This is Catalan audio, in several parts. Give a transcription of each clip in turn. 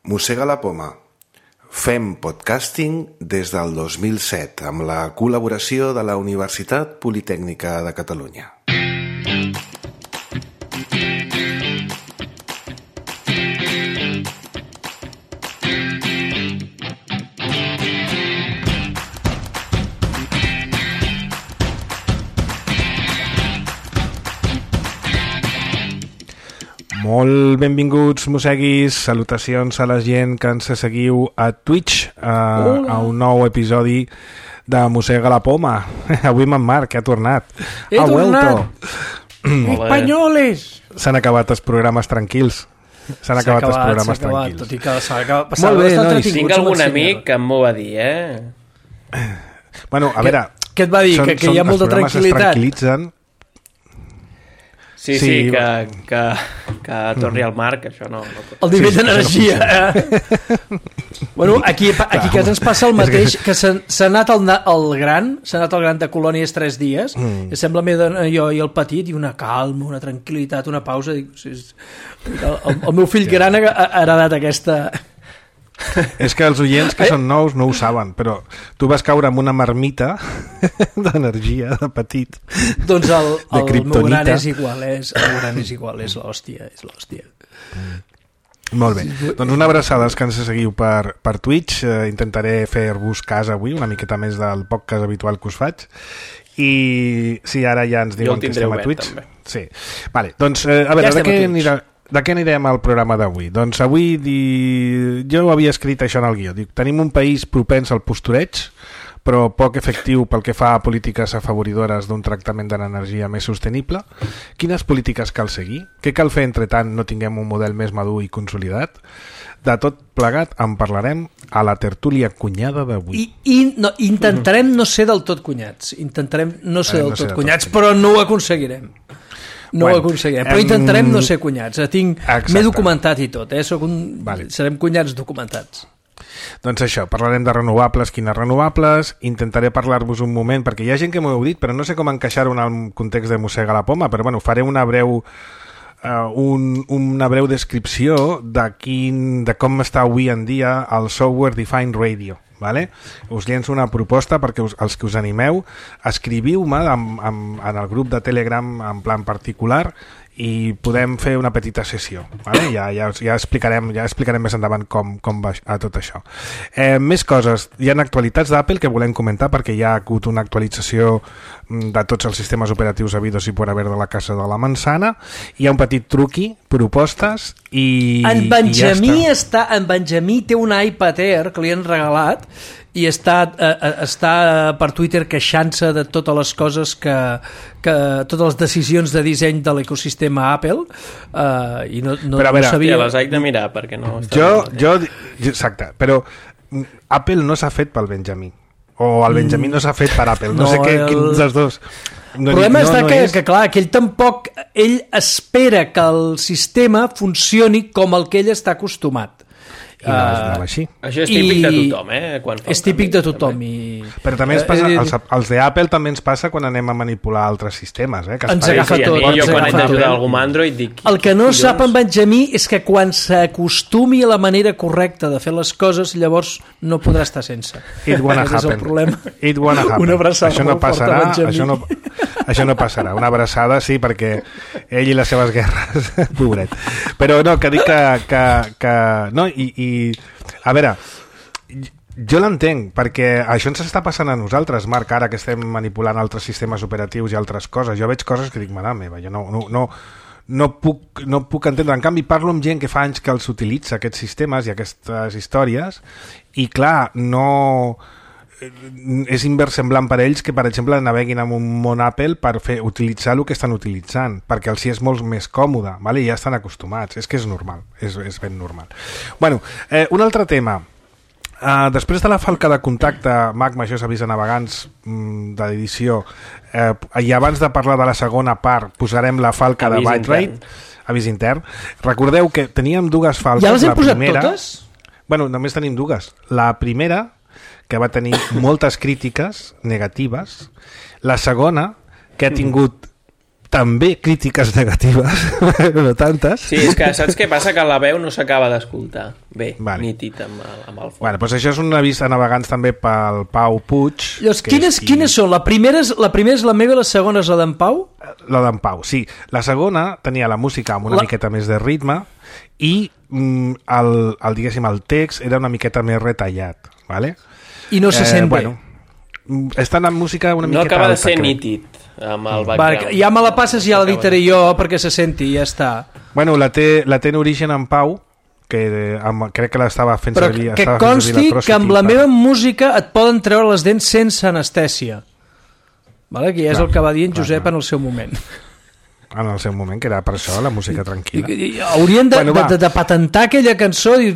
Mossega la poma. Fem podcasting des del 2007 amb la col·laboració de la Universitat Politècnica de Catalunya. Molt benvinguts, mosseguis, salutacions a la gent que ens seguiu a Twitch a un nou episodi de Mossega la poma. Avui amb en Marc, que ha tornat. Ha tornat! Espanyoles! S'han acabat els programes tranquils. S'han acabat els programes tranquils. Tot i que s'ha acabat. Molt bé, nois. Tinc algun amic que m'ho va dir, Bueno, a veure... Què et va dir? Que hi ha molta tranquil·litat? Tranquil·litzen. Sí, que torni al Marc, això no pot. El nivell d'energia. Bueno, aquí a casa ens passa el mateix, que s'ha anat el gran de colònies 3 dies, i sembla jo i el petit, i una calma, una tranquil·litat, una pausa. El meu fill gran ha heredat aquesta... És que els oients que són nous no ho saben, però tu vas caure amb una marmita d'energia de petit. Doncs el meu gran és igual, és l'hòstia, Molt bé, doncs una abraçada als que ens seguiu per Twitch. Intentaré fer-vos cas avui, una miqueta més del podcast habitual que us faig. I sí, ara ja ens diuen que estem a Twitch. Sí. Vale, doncs a veure, de què anirem al programa d'avui? Doncs avui jo havia escrit això en el guió. Tenim un país propens al postureig, però poc efectiu pel que fa a polítiques afavoridores d'un tractament de l'energia més sostenible. Quines polítiques cal seguir? Què cal fer entre tant no tinguem un model més madur i consolidat? De tot plegat en parlarem a la tertúlia cunyada d'avui. Intentarem no ser del tot cunyats. Però no ho aconseguirem. Ho aconseguirem, però intentarem no ser cunyats. M'he documentat i tot, serem cunyats documentats. Doncs això, parlarem de renovables, quines renovables, intentaré parlar-vos un moment, perquè hi ha gent que m'ho heu dit, però no sé com encaixar-ho en el context de Mossega la poma, però bueno, faré una breu descripció de com està avui en dia el Software Defined Radio. Vale? Us llenço una proposta perquè els que us animeu, escriviu-me en el grup de Telegram en plan particular i podem fer una petita sessió. Vale? Ja explicarem més endavant com va a tot això. Més coses. Hi ha actualitats d'Apple que volem comentar perquè hi ha hagut una actualització de tots els sistemes operatius habidos i por haver de la casa de la manzana. Hi ha un petit truqui, propostes i en Benjamí té un iPad Air que li han regalat i està per Twitter queixant-se de totes les coses que totes les decisions de disseny de l'ecosistema Apple i no sabia... les haig de mirar perquè no... Exacte, però Apple no s'ha fet pel Benjamí o el Benjamí no s'ha fet per Apple, no sé quin dels dos. El problema és que clar, que ell espera que el sistema funcioni com el que ell està acostumat. I no és molt així. Això és típic de tothom, és típic de tothom. Però també ens passa, els d'Apple també ens passa quan anem a manipular altres sistemes. Que ens agafa tot. Jo quan he d'ajudar algú amb Android dic... El que no sap en Benjamí és que quan s'acostumi a la manera correcta de fer les coses, llavors no podrà estar sense. It wanna happen. Una abraçada això no passarà, això no passarà. Una abraçada, sí, perquè ell i les seves guerres, pobret. Però no, que dic que no, i a veure, jo l'entenc, perquè això ens està passant a nosaltres, Marc, ara que estem manipulant altres sistemes operatius i altres coses. Jo veig coses que dic, mare meva, jo no puc entendre. En canvi, parlo amb gent que fa anys que els utilitza, aquests sistemes i aquestes històries, i clar, no... és inversemblant per ells que, per exemple, naveguin en un món Apple per utilitzar el que estan utilitzant, perquè els és molt més còmode, vale? I ja estan acostumats, és que és normal, és ben normal. Bueno, un altre tema. Després de la falca de contacte, Mac, majors avís a navegants d'edició, i abans de parlar de la segona part, posarem la falca de bitrate, avís intern. Recordeu que teníem dues falques. Ja les hem posat totes? Bueno, només tenim dues. La primera, que va tenir moltes crítiques negatives. La segona, que ha tingut també crítiques negatives, no tantes. Sí, és que saps què passa? Que la veu no s'acaba d'escoltar bé, Vale. nítid amb el fons. Bueno, doncs això és un avís a navegants també pel Pau Puig. Llavors, quines són? La primera és la meva i la segona és la d'en Pau? La d'en Pau, sí. La segona tenia la música amb una miqueta més de ritme i diguéssim, el text era una miqueta més retallat, ¿vale? I no se sent bé. Bueno, està en música una No miqueta acaba de alta, ser crec. nítid amb el background. Ja me la passes, ja la dictaré jo perquè se senti i ja està. Bueno, la té en origen en Pau, que crec que l'estava fent Però servir... que consti que amb la meva música et poden treure les dents sense anestèsia. Vale? Que ja és el que va dir en Josep en el seu moment. En el seu moment, que era per això, la música tranquil·la. Haurien de patentar aquella cançó i...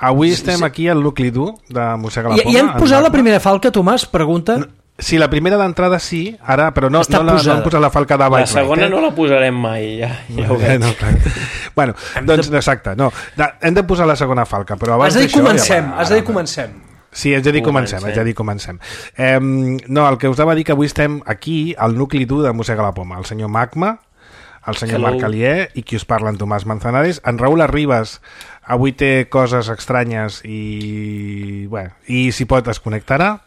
Avui estem aquí al nucli dur de Mossega la Poma. I han posat la primera falca, Tomàs? Pregunta. Sí, la primera d'entrada sí, ara, però no han posat la falca de baix. La segona no la posarem mai, ja ho veig. No, bueno, doncs exacte, no. Hem de posar la segona falca, però abans d'això... Has de dir comencem. Sí, haig de dir comencem. No, el que us anava a dir que avui estem aquí al nucli dur de Mossega la Poma. El senyor Magma, el senyor Marc Alier i qui us parla, en Tomàs Manzanares. En Raül Arribas avui té coses estranyes i si pot es connectarà,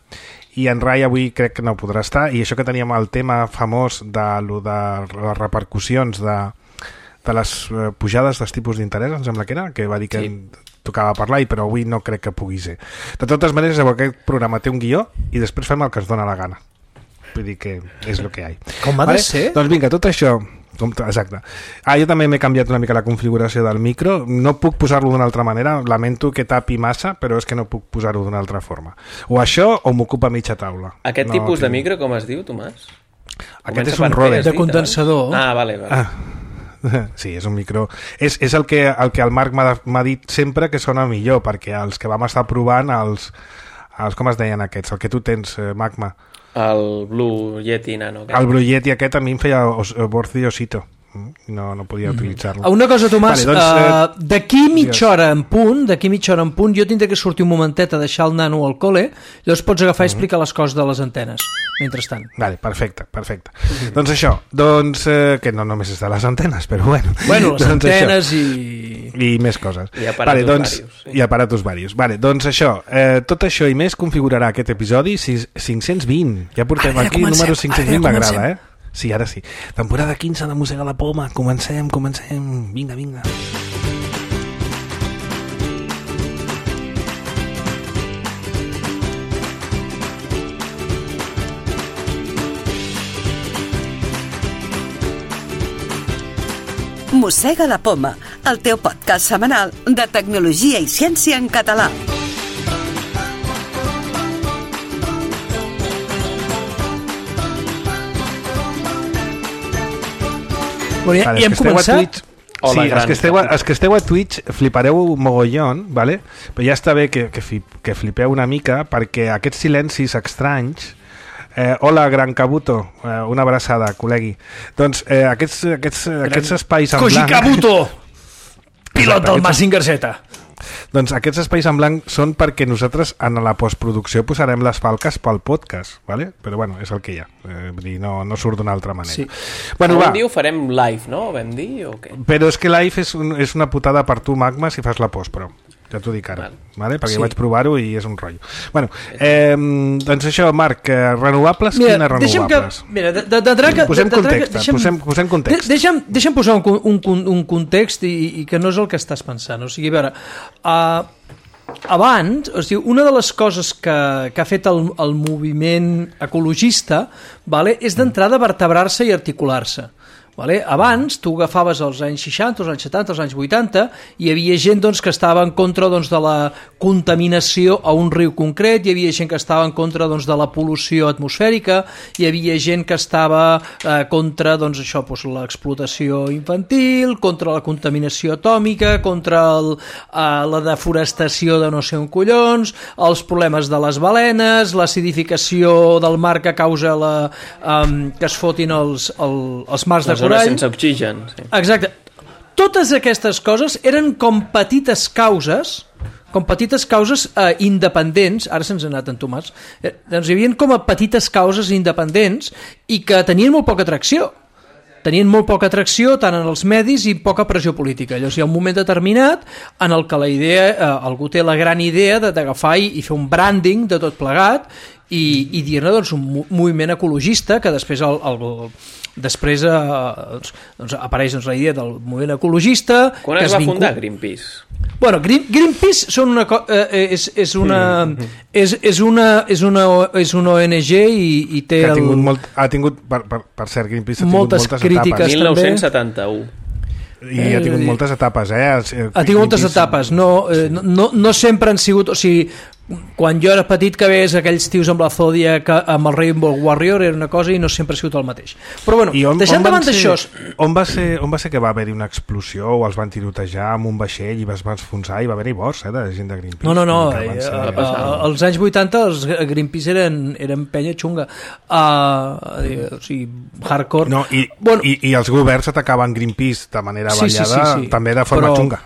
i en Rai avui crec que no podrà estar, i això que teníem el tema famós de les repercussions de les pujades dels tipus d'interès, em sembla que va dir que tocava parlar, però avui no crec que pugui ser. De totes maneres, aquest programa té un guió i després fem el que ens dona la gana. Vull dir que és el que hi ha. Com ha de ser? Doncs vinga, tot això... Exacte. Jo també m'he canviat una mica la configuració del micro. No puc posar-lo d'una altra manera. Lamento que tapi massa, però és que no puc posar-ho d'una altra forma. O això o m'ocupa mitja taula. Aquest tipus de micro, com es diu, Tomàs? Aquest és un Rode. De condensador. Vale. Sí, és un micro. És el que el Marc m'ha dit sempre que sona millor, perquè els que vam estar provant, els com es deien aquests? El que tu tens, Magma. El Blue Yeti Nano. El Blue Yeti aquest a mi em feia Borci Osito. No podia utilitzar-lo. Una cosa, Tomàs, d'aquí mitja hora en punt, jo tindré que sortir un momentet a deixar el nano al col·le, llavors pots agafar i explicar les coses de les antenes, mentrestant. Vale, perfecte. Doncs això, que no només és de les antenes, però bueno. Bueno, les antenes i més coses. I aparatos varios. I aparatos varios. Vale, doncs això, tot això i més configurarà aquest episodi 520. Ja portem aquí el número 520, m'agrada, Sí, ara sí. Temporada 15 de Mossega la Poma. Comencem. Vinga. Mossega la Poma, el teu podcast setmanal de tecnologia i ciència en català. Bueno, ja hem començat? Els que esteu a Twitch flipareu mogollon, ¿vale? Però ja està bé que flipeu una mica, perquè aquests silencis estranys... hola, Gran Kabuto, una abraçada, col·legui. Doncs aquests espais en blanc... Koji Kabuto! Pilot del Mazinger Z! Doncs aquests espais en blanc són perquè nosaltres en la postproducció posarem les falques pel podcast, ¿vale? Però bueno, és el que hi ha. Vull dir, no surt d'una altra manera. Sí. Bueno, vam dir ho farem live, no? Vam dir o què? Però és que live és una putada per tu, Magma, si fas la post, però ja t'ho dic ara, vale? Perquè vaig provar-ho i és un rotllo. Bueno, doncs això, Marc, renovables, quines renovables? Posem context. Deixa'm posar un context i que no és el que estàs pensant. O sigui, a veure, abans, o sigui, una de les coses que ha fet el moviment ecologista, és d'entrada vertebrar-se i articular-se. Abans tu agafaves els anys 60, els anys 70, els anys 80, hi havia gent que estava en contra de la contaminació a un riu concret, hi havia gent que estava en contra de la pol·lució atmosfèrica, hi havia gent que estava contra l'explotació infantil, contra la contaminació atòmica, contra la deforestació de no sé on collons, els problemes de les balenes, l'acidificació del mar que causa que es fotin els mars de corall. Sense oxigen. Sí. Exacte. Totes aquestes coses eren com petites causes com petites causes independents, ara se'ns ha anat en Tomàs, doncs hi havia com a petites causes independents i que tenien molt poca atracció. Tenien molt poca atracció tant en els medis i poca pressió política. Llavors hi ha un moment determinat en el que la idea, algú té la gran idea d'agafar i fer un branding de tot plegat i dir-ne doncs, un moviment ecologista que després després doncs, apareix doncs, la idea del moviment ecologista. Quan es va fundar Greenpeace? Bueno, Greenpeace és una ONG i té ha tingut per cert, Greenpeace ha tingut moltes crítiques etapes. 1971. I ha tingut moltes etapes, ha tingut moltes etapes, no sempre han sigut, o sigui, quan jo era petit que veies aquells tios amb la Zodiac, amb el Rainbow Warrior, era una cosa i no sempre ha sigut el mateix. Però bueno, deixant davant d'això... On va ser que va haver-hi una explosió o els van tirotejar amb un vaixell i es va enfonsar i va haver-hi morts de gent de Greenpeace? No, als anys 80 els Greenpeace eren penya xunga, o sigui, hardcore. No, i els governs atacaven Greenpeace de manera ballada, també de forma xunga.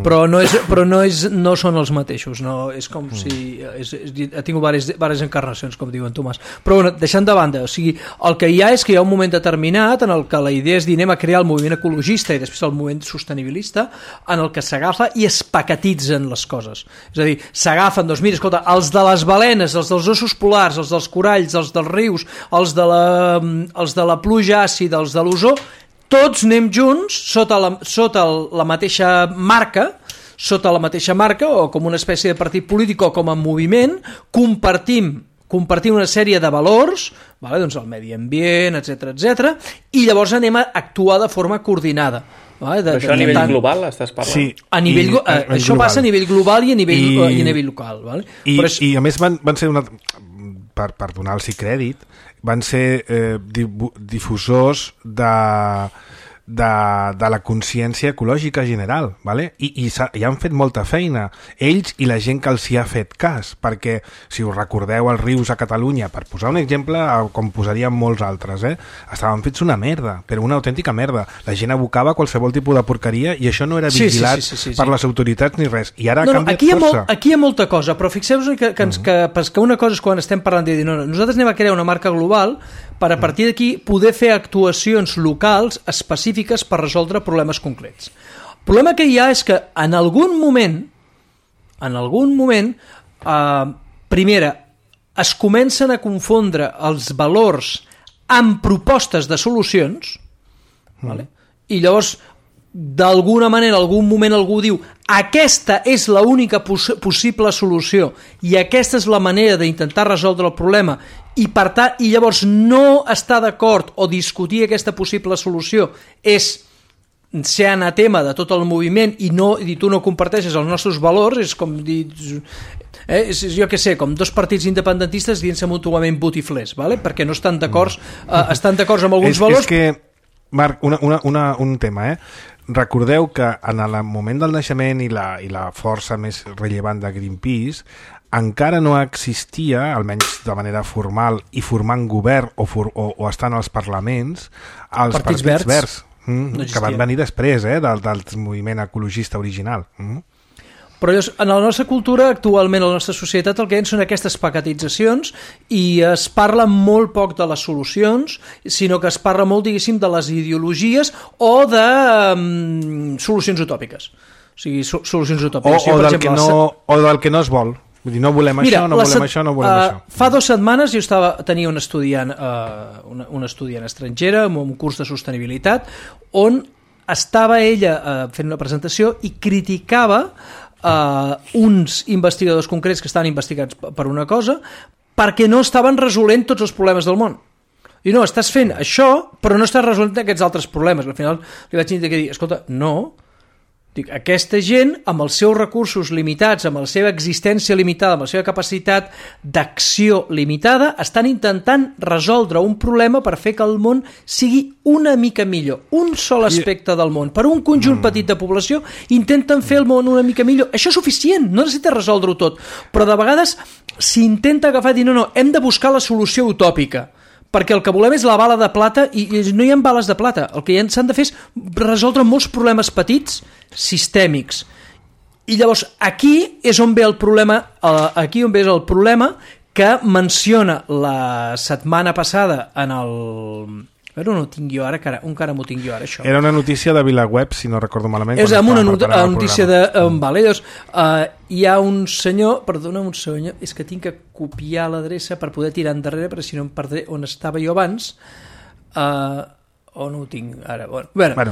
Però no són els mateixos, no, és com si ha tingut diverses encarnacions, com diuen Tomàs. Però bueno, deixant de banda, o sigui, el que hi ha és que hi ha un moment determinat en el que la idea és dir anem a crear el moviment ecologista i després el moviment sostenibilista, en el que s'agafa i es paquetitzen les coses. És a dir, s'agafen, doncs mira, escolta, els de les balenes, els dels ossos polars, els dels coralls, els dels rius, els de la pluja àcida, els de l'ozó, tots anem junts sota la mateixa marca, o com una espècie de partit polític o com a moviment, compartim una sèrie de valors, doncs el medi ambient, etc, i llavors anem a actuar de forma coordinada. Però això a nivell global estàs parlant? Sí, això passa a nivell global i a nivell local. I a més van ser per donar-los crèdit, van ser difusors de la consciència ecològica general, ¿vale? I han fet molta feina, ells i la gent que els hi ha fet cas, perquè, si us recordeu, els rius a Catalunya, per posar un exemple, com posaríem molts altres, estaven fets una merda, però una autèntica merda. La gent abocava qualsevol tipus de porqueria i això no era vigilat per les autoritats ni res. I ara ha canviat força. Aquí hi ha molta cosa, però fixeu-vos que una cosa és quan estem parlant de dir, nosaltres anem a crear una marca global per a partir d'aquí poder fer actuacions locals específiques per resoldre problemes concrets. El problema que hi ha és que en algun moment, primera, es comencen a confondre els valors amb propostes de solucions, i llavors d'alguna manera, en algun moment algú diu aquesta és l'única possible solució i aquesta és la manera d'intentar resoldre el problema i per tant, i llavors no estar d'acord o discutir aquesta possible solució és ser anatema de tot el moviment i tu no comparteixes els nostres valors, és com dir jo què sé, com dos partits independentistes dient-se mútuament botiflers, perquè no estan d'acord amb alguns valors. És que, Marc, un tema, recordeu que en el moment del naixement i la força més rellevant de Greenpeace encara no existia, almenys de manera formal i formant govern o estant als parlaments, els partits verds que van venir després del moviment ecologista original. Però en la nostra cultura, actualment, a la nostra societat, el que hi ha són aquestes paquetitzacions i es parla molt poc de les solucions, sinó que es parla molt, diguéssim, de les ideologies o de solucions utòpiques. O sigui, solucions utòpiques. O del que no es vol. Vull dir, no volem això, no volem això, no volem això. Fa 2 setmanes jo tenia una estudiant estrangera amb un curs de sostenibilitat on estava ella fent una presentació i criticava uns investigadors concrets que estaven investigats per una cosa perquè no estaven resolent tots els problemes del món. I no, estàs fent això però no estàs resolent aquests altres problemes. Al final li vaig dir, escolta, no, dic, aquesta gent, amb els seus recursos limitats, amb la seva existència limitada, amb la seva capacitat d'acció limitada, estan intentant resoldre un problema per fer que el món sigui una mica millor. Un sol aspecte del món. Per un conjunt petit de població intenten fer el món una mica millor. Això és suficient, no necessita resoldre-ho tot. Però de vegades s'intenta agafar i dir, no, hem de buscar la solució utòpica. Perquè el que volem és la bala de plata i no hi ha bales de plata. El que s'han de fer és resoldre molts problemes petits, sistèmics. I llavors aquí és on ve el problema, que menciona la setmana passada en el... Però no ho tinc jo ara, encara m'ho tinc jo ara, això. Era una notícia de VilaWeb, si no recordo malament. És amb una notícia de... Vale, llavors, hi ha un senyor... Perdona un senyor, és que tinc que copiar l'adreça per poder tirar endarrere, perquè si no em perdré on estava jo abans. O no ho tinc ara. Bueno.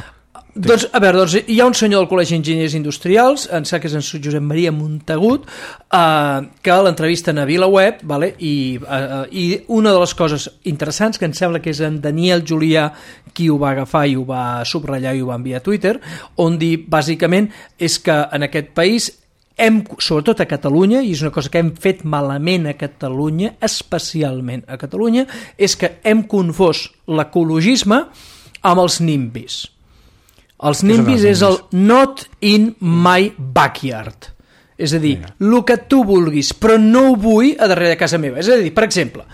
Doncs, a veure, hi ha un senyor del Col·legi d'Enginyers Industrials, em sap que és en Josep Maria Montagut, que l'entrevisten a VilaWeb, vale? I una de les coses interessants, que em sembla que és en Daniel Julià qui ho va agafar i ho va subratllar i ho va enviar a Twitter, on dir, bàsicament, és que en aquest país sobretot a Catalunya, i és una cosa que hem fet malament a Catalunya, especialment a Catalunya, és que hem confós l'ecologisme amb els NIMBYs. Els NIMBYs és el not in my backyard. És a dir, el que tu vulguis, però no ho vull a darrere de casa meva. És a dir, per exemple,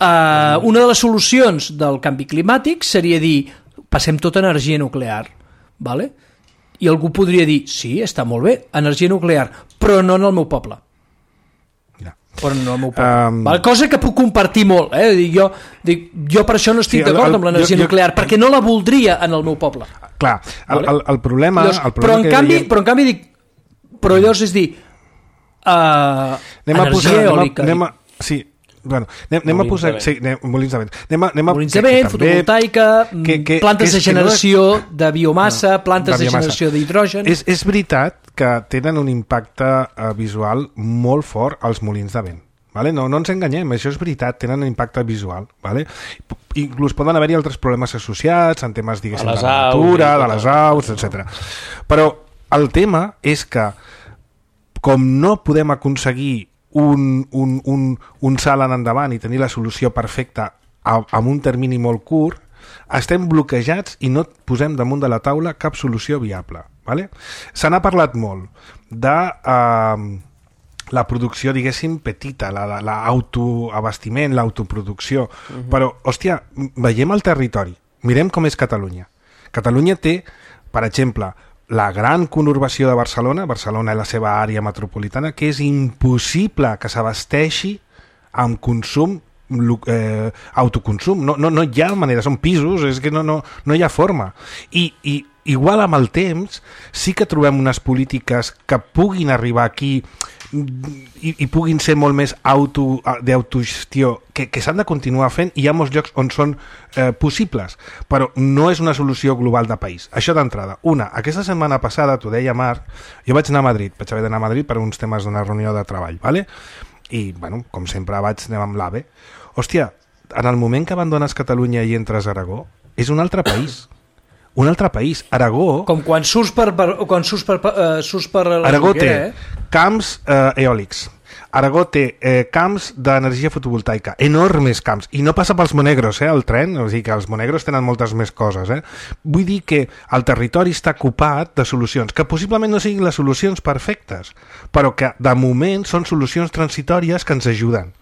una de les solucions del canvi climàtic seria dir, passem tota energia nuclear, ¿vale? I algú podria dir, sí, està molt bé, energia nuclear, però no en el meu poble. Però no el meu poble. Cosa que puc compartir molt. Jo per això no estic d'acord amb l'energia nuclear, perquè no la voldria en el meu poble. Clar, el problema... Però en canvi dic... Però llavors és dir... Energia eòlica. Anem a posar... Sí, molins de vent. Molins de vent, fotovoltaica, plantes de generació de biomassa, plantes de generació d'hidrogen... És veritat que tenen un impacte visual molt fort als molins de vent. Vale? No ens enganyem, això és veritat, tenen un impacte visual. Vale? Inclús poden haver-hi altres problemes associats en temes, diguéssim, de la natura, de les aus, etc. Però el tema és que, com no podem aconseguir un salt en endavant i tenir la solució perfecta en un termini molt curt, estem bloquejats i no posem damunt de la taula cap solució viable. Vale? Se n'ha parlat molt de la producció, diguéssim, petita, l'autoabastiment, l'autoproducció. Però, hòstia, veiem el territori, mirem com és Catalunya. Catalunya té, per exemple, la gran conurbació de Barcelona i la seva àrea metropolitana, que és impossible que s'abasteixi amb consum, autoconsum. No hi ha manera, són pisos, és que no hi ha forma. I igual amb el temps sí que trobem unes polítiques que puguin arribar aquí i puguin ser molt més d'autogestió, que s'han de continuar fent, i hi ha molts llocs on són possibles, però no és una solució global de país. Això d'entrada. Aquesta setmana passada, t'ho deia Marc, jo vaig anar a Madrid, vaig haver d'anar a Madrid per uns temes d'una reunió de treball, ¿vale? I, bueno, com sempre anem amb l'AVE. Hòstia, en el moment que abandones Catalunya i entres a Aragó, és un altre país. Un altre país, Aragó... Com quan surts per la Aragó té camps eòlics, Aragó té camps d'energia fotovoltaica, enormes camps, i no passa pels Monegros, el tren, o sigui que els Monegros tenen moltes més coses. Vull dir que el territori està ocupat de solucions, que possiblement no siguin les solucions perfectes, però que de moment són solucions transitòries que ens ajuden.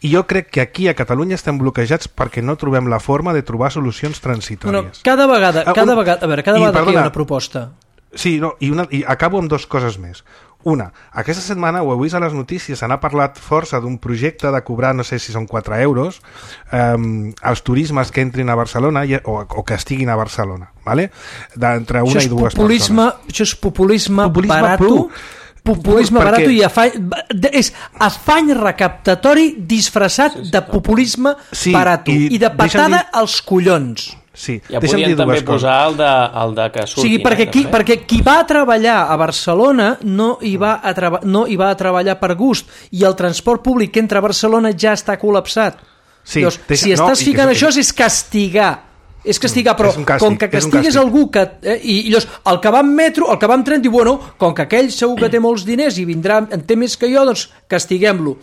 I jo crec que aquí a Catalunya estem bloquejats perquè no trobem la forma de trobar solucions transitòries. Cada vegada que hi ha una proposta... Sí, i acabo amb dues coses més. Una, aquesta setmana ho heu vist a les notícies, se n'ha parlat força d'un projecte de cobrar, no sé si són 4 euros, als turismes que entrin a Barcelona o que estiguin a Barcelona, ¿vale? D'entre una i dues persones. Això és populisme barato. Populisme barat i és afany recaptatori disfressat de populisme barat i de patada als collons. Sí, ja podien també posar el de que surtin. Sí, perquè qui va a treballar a Barcelona no hi va a treballar per gust, i el transport públic que entra a Barcelona ja està col·lapsat. Si estàs ficant això és castigar. És castigar, però com que castigues algú que... I llavors, el que va en metro, el que va en tren, diu, bueno, com que aquell segur que té molts diners i vindrà, en té més que jo, doncs castiguem-lo.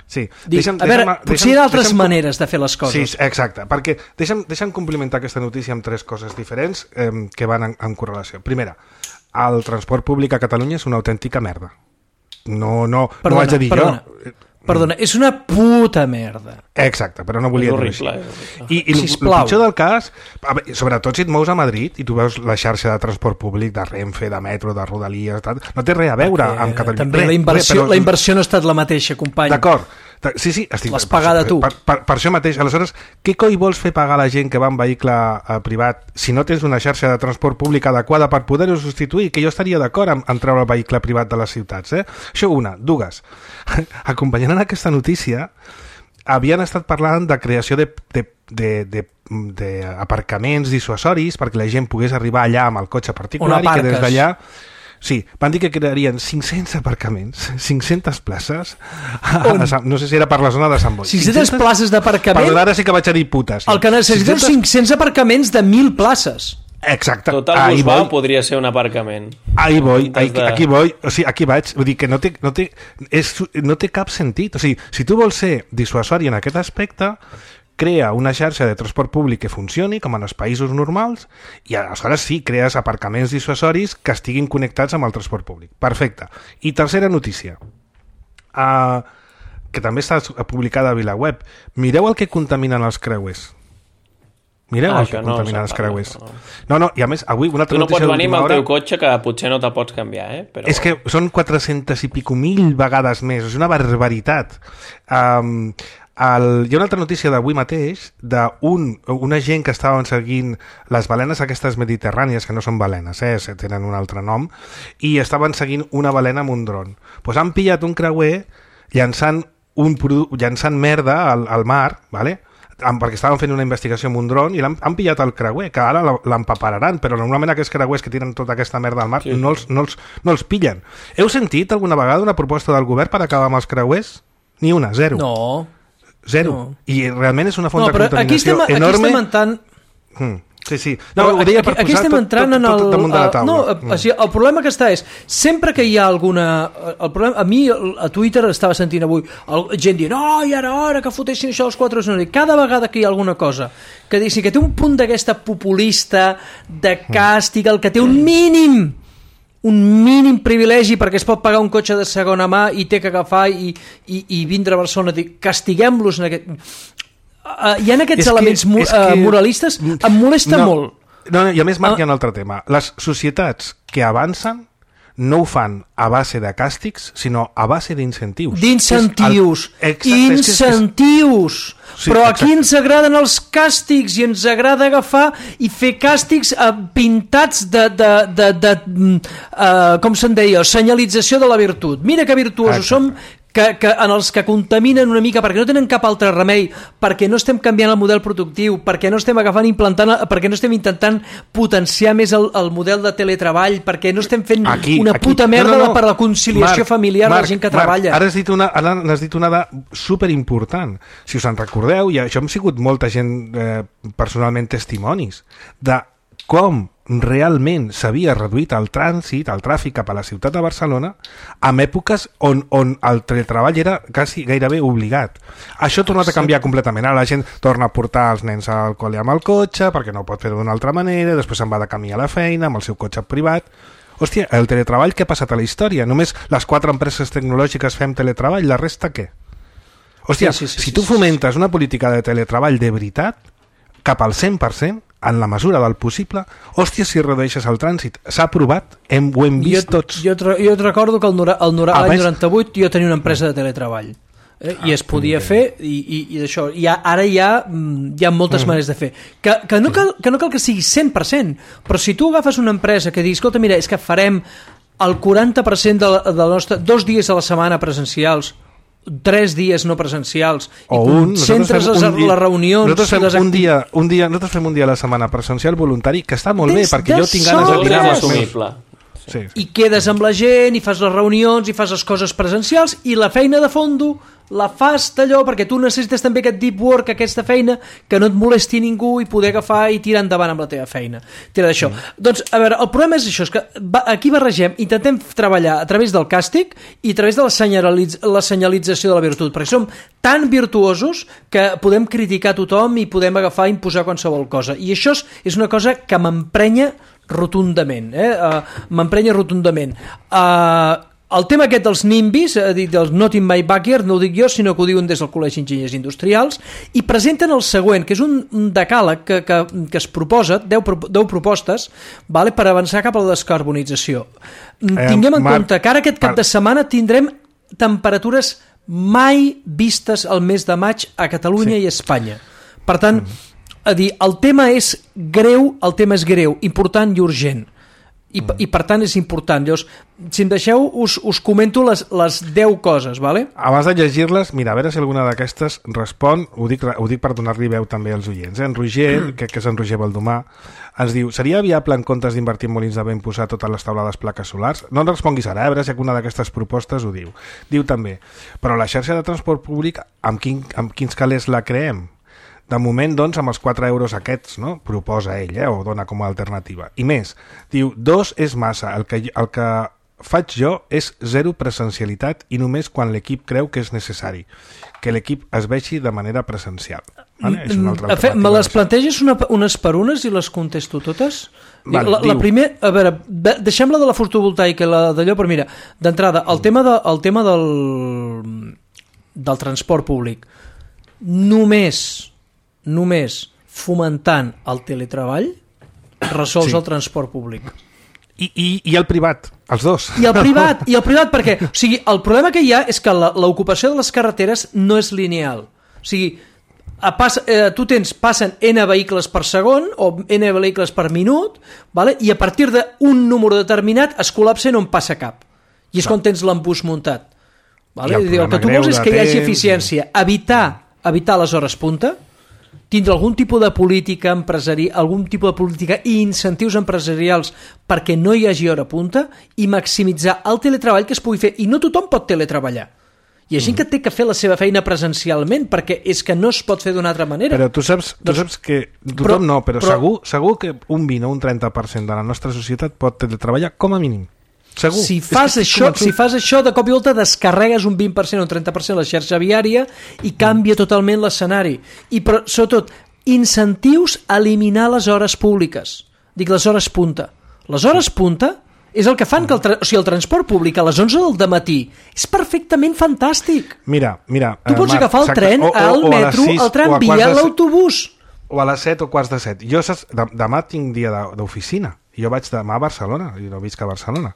Sí. Potser hi ha altres maneres de fer les coses. Sí, exacte, perquè deixa'm complimentar aquesta notícia amb 3 coses diferents que van en correlació. Primera, el transport públic a Catalunya és una autèntica merda. No ho haig de dir jo. Perdona, és una puta merda. Exacte, però no volia dir-ho així. I el pitjor del cas, sobretot si et mous a Madrid i tu veus la xarxa de transport públic, de Renfe, de metro, de Rodalies, no té res a veure amb Catalunya. També la inversió no ha estat la mateixa, company. D'acord. Sí, estic... L'has pagat tu. Per això mateix. Aleshores, què coi vols fer pagar a la gent que va en vehicle privat si no tens una xarxa de transport públic adequada per poder-ho substituir? Que jo estaria d'acord en treure el vehicle privat de les ciutats. Això una. Dues. Acompanyant aquesta notícia, havien estat parlant de creació d'aparcaments dissuasoris perquè la gent pogués arribar allà amb el cotxe particular i que des d'allà... Sí, van dir que crearien 500 aparcaments, 500 places, no sé si era per la zona de Sant Boi. 500 places d'aparcament? Perdó, ara sí que vaig a dir putes. El que necessiten 500 aparcaments de 1.000 places. Exacte. Tot el Busbau podria ser un aparcament. Aquí vull, o sigui, aquí vaig, vull dir que no té cap sentit. O sigui, si tu vols ser dissuasori en aquest aspecte, crea una xarxa de transport públic que funcioni com en els països normals i aleshores sí, crees aparcaments dissuasoris que estiguin connectats amb el transport públic. Perfecte. I tercera notícia, que també està publicada a VilaWeb. Mireu el que contaminen els creuers. Mireu el que contaminen els creuers. No, i a més, avui una altra notícia d'última hora... Tu no pots venir amb el teu cotxe, que potser no te'l pots canviar, Però... És que són 400 i pico mil vegades més, és una barbaritat. Hi ha una altra notícia d'avui mateix d'una gent que estaven seguint les balenes aquestes mediterrànies, que no són balenes, tenen un altre nom, i estaven seguint una balena amb un dron. Doncs han pillat un creuer llançant merda al mar, ¿vale? Perquè estaven fent una investigació amb un dron i han pillat el creuer, que ara l'empapararan, però normalment aquests creuers que tiren tota aquesta merda al mar no els pillen. Heu sentit alguna vegada una proposta del govern per acabar amb els creuers? Ni una, zero. No. Zero. No. I realment és una font de contaminació enorme. Aquí estem entrant... Sí. No, ho deia per aquí posar estem entrant en tot damunt de la taula. O sigui, el problema que està és, sempre que hi ha alguna... a mi, a Twitter, estava sentint avui gent dient, i ara que fotessin això als 4 de cada vegada que hi ha alguna cosa que té un punt d'aquesta populista, de càstig, el que té un mínim privilegi perquè es pot pagar un cotxe de segona mà i té que agafar i vindre a Barcelona, castiguem-los en aquest... hi ha aquests elements moralistes, em molesta molt. No, i a més marquen un altre tema. Les societats que avancen no ho fan a base de càstigs, sinó a base d'incentius. D'incentius. Incentius! Sí, però aquí ens agraden els càstigs i ens agrada agafar i fer càstigs pintats de com se'n deia, senyalització de la virtut. Mira que virtuosos som, que en els que contaminen una mica perquè no tenen cap altre remei, perquè no estem canviant el model productiu, perquè no estem perquè no estem intentant potenciar més el model de teletreball, perquè no estem fent una puta merda per la conciliació familiar de la gent que treballa. Ara n'has dit una superimportant. Si us en recordeu, i això hem sigut molta gent personalment testimonis de com realment s'havia reduït el trànsit, el tràfic cap a la ciutat de Barcelona en èpoques on el teletreball era gairebé obligat. Això ha tornat a canviar completament. Ara la gent torna a portar els nens al col·le amb el cotxe perquè no pot fer-ho d'una altra manera, després se'n va de camí a la feina amb el seu cotxe privat. Hòstia, el teletreball què ha passat a la història? Només les 4 empreses tecnològiques fem teletreball, la resta què? Hòstia, si tu fomentes una política de teletreball de veritat, cap al 100%, en la mesura del possible, hòstia, si redueixes el trànsit. S'ha provat, ho hem vist tots. Jo et recordo que l'any 98 jo tenia una empresa de teletreball. I es podia fer i d'això. Ara hi ha moltes maneres de fer. Que no cal que sigui 100%, però si tu agafes una empresa que diguis, escolta, mira, és que farem el 40% de la nostra... 2 dies a la setmana presencials, 3 dies no presencials i concentres les reunions. Nosaltres fem un dia a la setmana presencial voluntari, que està molt bé, perquè jo tinc ganes de tirar els meus. I quedes amb la gent i fas les reunions i fas les coses presencials i la feina de fondo la fas d'allò perquè tu necessites també aquest deep work, aquesta feina que no et molesti ningú i poder agafar i tirar endavant amb la teva feina. Tira d'això. Doncs, a veure, el problema és això, és que aquí barregem, intentem treballar a través del càstig i a través de la senyalització de la virtut, perquè som tan virtuosos que podem criticar tothom i podem agafar i imposar qualsevol cosa. I això és una cosa que m'emprenya rotundament. M'emprenya rotundament. el tema aquest dels NIMBYs, dels Not in my backyard, no ho dic jo, sinó que ho diuen des del Col·legi d'Enginyers Industrials, i presenten el següent, que és un decàleg que es proposa, 10 propostes, vale, per avançar cap a la descarbonització. Tinguem en compte que ara aquest cap de setmana tindrem temperatures mai vistes al mes de maig a Catalunya i a Espanya. Per tant, el tema és greu, important i urgent. I per tant és important. Llavors, si em deixeu, us comento les 10 coses, vale? Abans de llegir-les, mira, a veure si alguna d'aquestes respon, ho dic per donar-li veu també als oients. En Roger, que és en Roger Baldomà, ens diu: seria viable en comptes d'invertir en molins de vent posar totes les taulades plaques solars? No ens responguis ara, a veure si alguna d'aquestes propostes ho diu. Diu també: però la xarxa de transport públic, amb quins calés la creem? De moment, doncs, amb els 4 euros aquests, no? Proposa ell, o dona com a alternativa. I més, diu, 2 és massa, el que faig jo és 0 presencialitat i només quan l'equip creu que és necessari, que l'equip es vegi de manera presencial. Vale? És una altra alternativa. Me les planteges unes per unes i les contesto totes? Vale, la primera, a veure, deixem la de la fotovoltaica i la d'allò, però mira, d'entrada, el tema del transport públic, només fomentant el teletreball resols el transport públic. I el privat, els dos. I el privat perquè, o sigui, el problema que hi ha és que l'ocupació de les carreteres no és lineal. O sigui, passen N vehicles per segon o N vehicles per minut, vale? I a partir d'un número determinat es col·lapsa i no en passa cap. I és quan tens l'embús muntat. Vale? El que tu vols és que hi hagi eficiència, evitar les hores punta, tindre algun tipus de política i incentius empresarials perquè no hi hagi hora punta i maximitzar el teletreball que es pugui fer. I no tothom pot teletreballar. Hi ha gent que té que fer la seva feina presencialment perquè és que no es pot fer d'una altra manera. Però tu saps que tothom segur que un 20 o un 30% de la nostra societat pot teletreballar com a mínim. Segur. Si fas això, de cop i volta descarregues un 20% o un 30% la xarxa viària i canvia totalment l'escenari. I sobretot, incentius a eliminar les hores públiques. Dic les hores punta. Les hores punta és el que fan que el transport públic a les 11 del dematí és perfectament fantàstic. Mira, tu pots agafar el tren, el metro, el tramvia, l'autobús. O a les 7 o quarts de 7. Jo demà tinc dia d'oficina. Jo vaig demà a Barcelona, i no visc a Barcelona.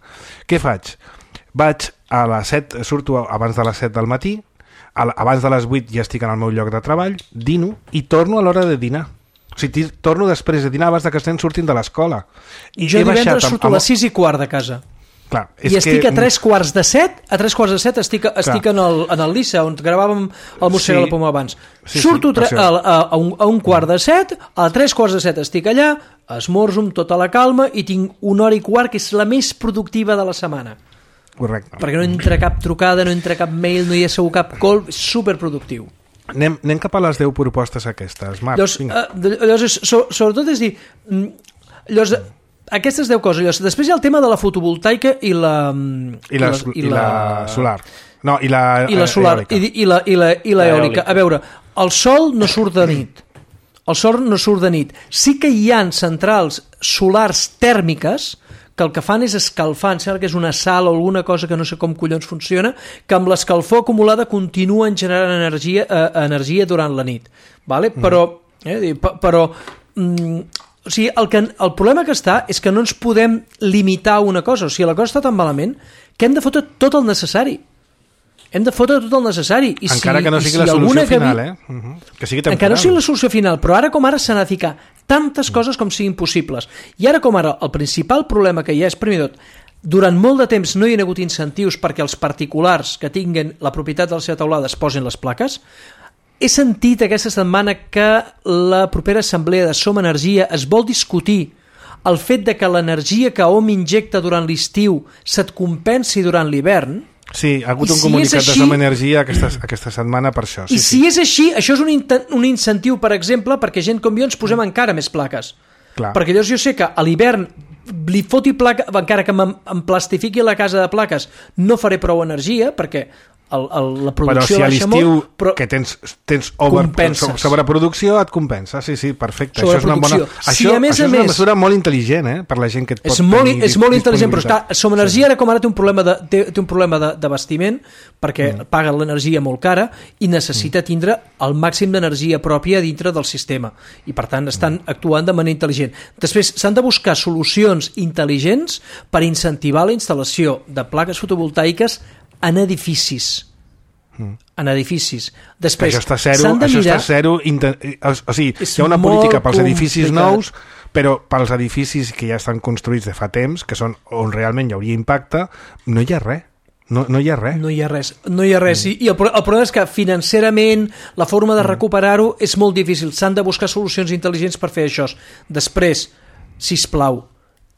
Què faig? Vaig a les 7, surto abans de les 7 del matí, abans de les 8 ja estic en el meu lloc de treball, dino i torno a l'hora de dinar. O sigui, torno després de dinar abans que els nens surtin de l'escola. Jo divendres surto a les 6 i quart de casa. Clar, i estic a 3:15 estic en el Lissa, on gravàvem el Mossega de la Poma abans. Surto a 1:15, a 3:15 estic allà, esmorzo amb tota la calma i tinc 1 hora i quart, que és la més productiva de la setmana. Correcte. Perquè no entra cap trucada, no entra cap mail, no hi ha segur cap call, és superproductiu. Anem cap a les 10 propostes aquestes, Marc. Llavors, sobretot és dir... Llavors, aquestes 10 coses. Després hi ha el tema de la fotovoltaica i la solar. No, i la solar i l'eòlica. A veure, el sol no surt de nit. Sí que hi ha centrals solars tèrmiques que el que fan és escalfar, em sembla que és una sal o alguna cosa que no sé com collons funciona, que amb l'escalfor acumulada continuen generant energia durant la nit. Vale? Però o sigui, el problema que està és que no ens podem limitar a una cosa. O sigui, la cosa està tan malament que hem de fotre tot el necessari. Encara que no sigui la solució final, que sigui temporal. Encara no sigui la solució final, però ara com ara s'han de ficar tantes coses com siguin possibles. I ara com ara el principal problema que hi ha és, primer de tot, durant molt de temps no hi ha hagut incentius perquè els particulars que tinguin la propietat de la seva teulada es posin les plaques. He sentit aquesta setmana que la propera assemblea de Som Energia es vol discutir el fet de que l'energia que hom injecta durant l'estiu se't compensi durant l'hivern. Sí, ha hagut un comunicat de Som Energia aquesta setmana per això. Si és així, això és un incentiu, per exemple, perquè gent com jo ens posem encara més plaques. Clar. Perquè llavors jo sé que a l'hivern li foti placa, encara que em plastifiqui la casa de plaques, no faré prou energia, perquè la producció però si a baixa l'estiu molt, però que tens sobreproducció et compensa, sí, perfecte. Això és una bona... Si a més això és una mesura molt intel·ligent, per la gent que et pot tenir és molt intel·ligent, però està, Som Energia ara com ara té un problema d'abastiment perquè paga l'energia molt cara i necessita tindre el màxim d'energia pròpia dintre del sistema i per tant estan actuant de manera intel·ligent. Després s'han de buscar solucions intel·ligents per incentivar la instal·lació de plaques fotovoltaiques en edificis. Després, això està zero, o sigui, hi ha una política pels edificis nous, però pels edificis que ja estan construïts de fa temps, que són on realment hi hauria impacte, no hi ha res. No hi ha res. I el problema és que financerament la forma de recuperar-ho és molt difícil. S'han de buscar solucions intel·ligents per fer això. Després, sisplau,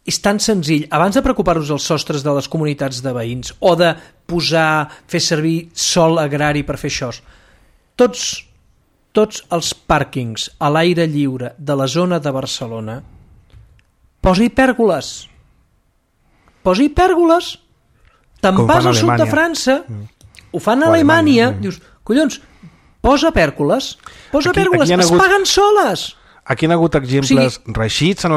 és tan senzill, abans de preocupar-nos dels sostres de les comunitats de veïns o de fer servir sòl agrari per fer això, tots els pàrquings a l'aire lliure de la zona de Barcelona, posa-hi pèrgoles. Te'n vas al sud de França, ho fan a Alemanya, dius, collons, posa pèrgoles, es paguen soles. Aquí hi ha hagut exemples reeixits en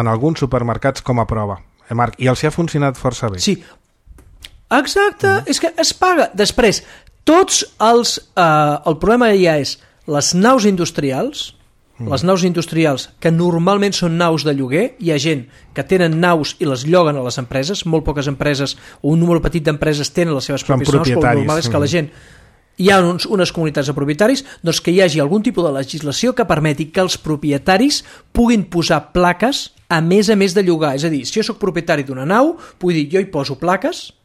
alguns supermercats com a prova, Marc, i els hi ha funcionat força bé. Sí, exacte, és que es paga. Després, el problema ja és les naus industrials, que normalment són naus de lloguer. Hi ha gent que tenen naus i les lloguen a les empreses, molt poques empreses o un número petit d'empreses tenen les seves pròpies naus, però el normal és que la gent... Hi ha unes comunitats de propietaris, doncs que hi hagi algun tipus de legislació que permeti que els propietaris puguin posar plaques a més de llogar. És a dir, si jo soc propietari d'una nau, puc dir, jo hi poso plaques,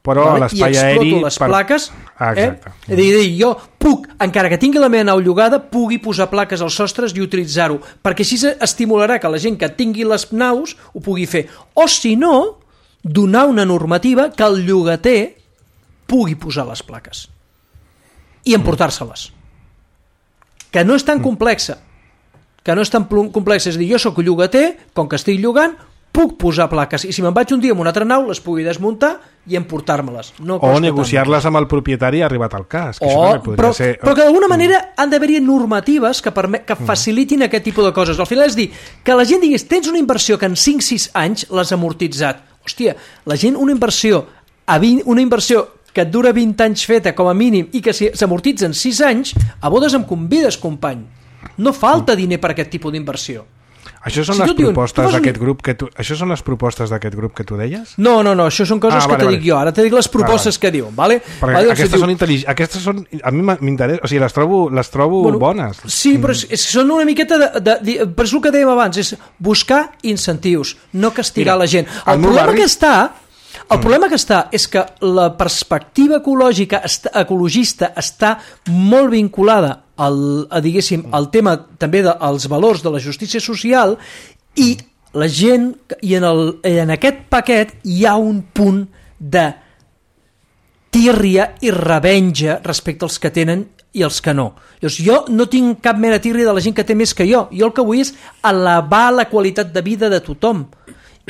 però a l'espai aeri... I exploto les plaques. Exacte. És a dir, jo puc, encara que tingui la meva nau llogada, pugui posar plaques als sostres i utilitzar-ho, perquè així estimularà que la gent que tingui les naus ho pugui fer. O si no, donar una normativa que el llogater pugui posar les plaques i emportar-se-les, que no és tan complexa, és a dir, jo sóc llogater, com que estic llogant puc posar plaques, i si me'n vaig un dia amb una altra nau les pugui desmuntar i emportar-me-les, o negociar-les amb el propietari arribat al cas, que però que d'alguna manera han d'haver-hi normatives que facilitin aquest tipus de coses. Al final és dir, que la gent digués, tens una inversió que en 5-6 anys l'has amortitzat. Hòstia, la gent una inversió que et dura 20 anys feta com a mínim i que s'amortitza en 6 anys, a bodes em convides, company. No falta diner per aquest tipus d'inversió. Això són les propostes d'aquest grup que tu... Això són les propostes d'aquest grup que tu deies? No, això són coses que dic jo. Ara te dic les propostes que diuen, vale? Aquestes són intel·ligents. Aquestes són... A mi m'interessa, o sigui, les trobo bones. Sí, però són una miqueta però és el que dèiem abans, és buscar incentius, no castigar la gent. El problema que està és que la perspectiva ecologista està molt vinculada al tema també dels valors de la justícia social, i la gent, i en aquest paquet hi ha un punt de tírria i revenja respecte als que tenen i els que no. Llavors, jo no tinc cap mena tírria de la gent que té més que jo. Jo el que vull és elevar la qualitat de vida de tothom.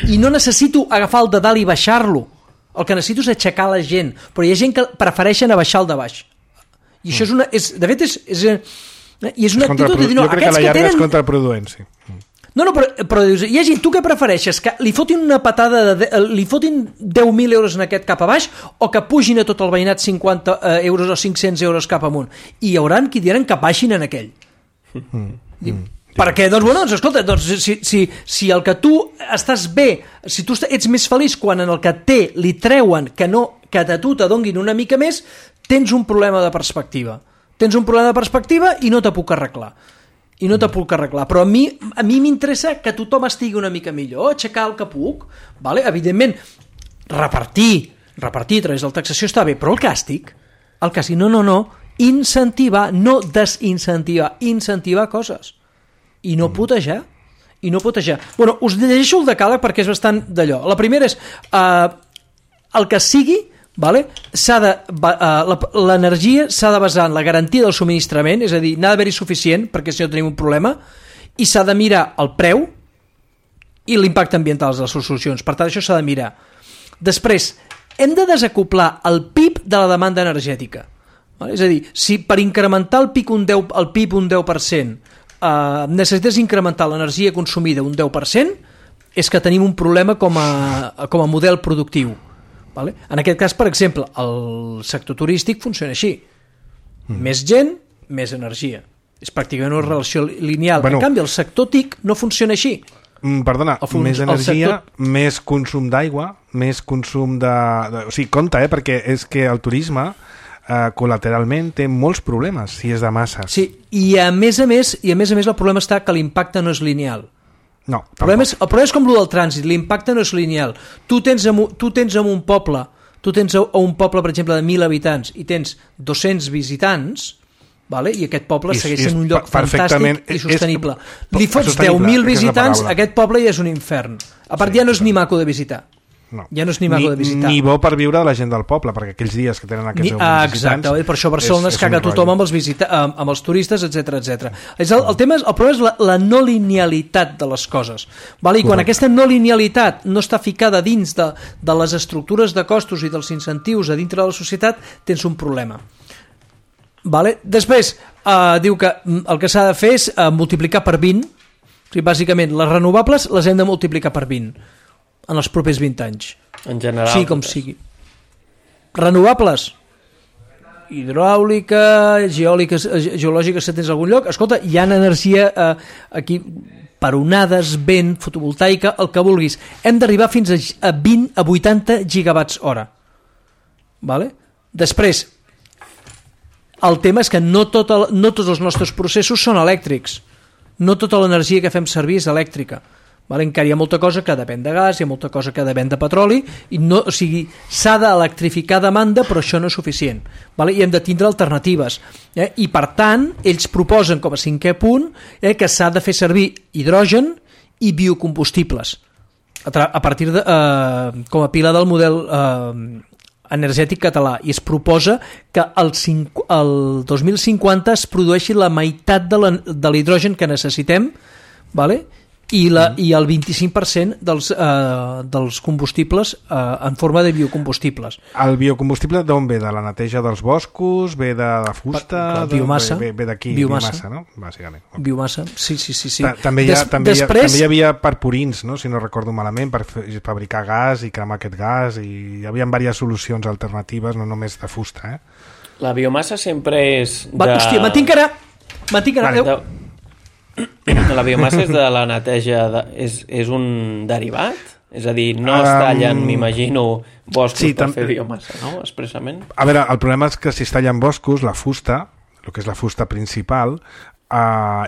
I no necessito agafar el de dalt i baixar-lo. El que necessito és aixecar la gent, però hi ha gent que prefereixen abaixar el de baix, i això és una actitud de dir, no, jo crec que a la llarga és contraproduent, sí. Però dius, hi ha gent, tu què prefereixes? Que li fotin una patada, li fotin 10.000 euros en aquest cap a baix, o que pugin a tot el veïnat 50 euros o 500 euros cap amunt? I hi haurà qui diran que baixin en aquell. Perquè, doncs, escolta, si el que tu estàs bé, si tu ets més feliç quan en el que té li treuen que a tu te donguin una mica més, tens un problema de perspectiva. I no te puc arreglar. Però a mi m'interessa que tothom estigui una mica millor, aixecar el que puc, vale? Evidentment, repartir a través de la taxació està bé, però el càstig, no, incentivar, no desincentivar, incentivar coses. I no putejar. Bueno, us llegeixo el decàleg perquè és bastant d'allò. La primera és el que sigui, vale? L'energia s'ha de basar en la garantia del subministrament, és a dir, n'ha d'haver-hi suficient perquè si no tenim un problema, i s'ha de mirar el preu i l'impacte ambiental de les solucions. Per tant, això s'ha de mirar. Després, hem de desacoplar el PIB de la demanda energètica. Vale? És a dir, si per incrementar el PIB un 10%, necessites incrementar l'energia consumida un 10%, és que tenim un problema com a model productiu. Vale? En aquest cas, per exemple, el sector turístic funciona així. Més gent, més energia. És pràcticament una relació lineal. En canvi, el sector TIC no funciona així. Perdona, més energia, més consum d'aigua, més consum de... O sigui, compte, perquè és que el turisme col·lateralment té molts problemes si és de masses. Sí, i a més a més el problema està que l'impacte no és lineal. No, el problema és com el del trànsit, l'impacte no és lineal. Tu tens en un poble, per exemple, de 1.000 habitants i tens 200 visitants, vale? I aquest poble segueix sent un lloc fantàstic i sostenible. Li fots 10.000 visitants, aquest poble ja és un infern. A part, ja no és ni maco de visitar. No. Ja no és ni maco de visitar. Ni bo per viure de la gent del poble, perquè aquells dies que tenen aquests visitants... Exacte, per això Barcelona es caga tothom amb els turistes, etc. El problema és la no linealitat de les coses. Vale? I quan aquesta no linealitat no està ficada dins de les estructures de costos i dels incentius a dintre de la societat, tens un problema. Vale? Després, diu que el que s'ha de fer és multiplicar per 20. O sigui, bàsicament, les renovables les hem de multiplicar per 20 en els propers 20 anys. En general. Sí, com sigui. Renovables, hidràulica, geològica, si tens algun lloc. Escolta, hi ha energia aquí per onades, vent, fotovoltaica, el que vulguis. Hem d'arribar fins a 20 a 80 gigawatts hora. Vale? Després, el tema és que no tots els nostres processos són elèctrics. No tota l'energia que fem servir és elèctrica. Vale? Encara hi ha molta cosa que depèn de gas, hi ha molta cosa que depèn de petroli, o sigui, s'ha d'electrificar demanda, però això no és suficient. Vale? I hem de tindre alternatives. I per tant, ells proposen com a 5è punt que s'ha de fer servir hidrogen i biocombustibles a partir de, com a pila del model energètic català, i es proposa que el 2050 es produeixi la meitat de l'hidrogen que necessitem, vale? I el 25% dels combustibles en forma de biocombustibles. El biocombustible d'on ve? De la neteja dels boscos? Ve de la fusta? Biomassa. Ve d'aquí, biomassa, no? Bàsicament. Biomassa, sí. També hi havia per purins, no? Si no recordo malament, per fabricar gas i cremar aquest gas, i hi havia diverses solucions alternatives, no només de fusta. La biomassa sempre és Hòstia, m'entinc ara. La biomassa és de la neteja, és un derivat? És a dir, no es tallen, m'imagino, boscos per fer biomassa, no? Expressament. A veure, el problema és que si es tallen boscos, la fusta, el que és la fusta principal,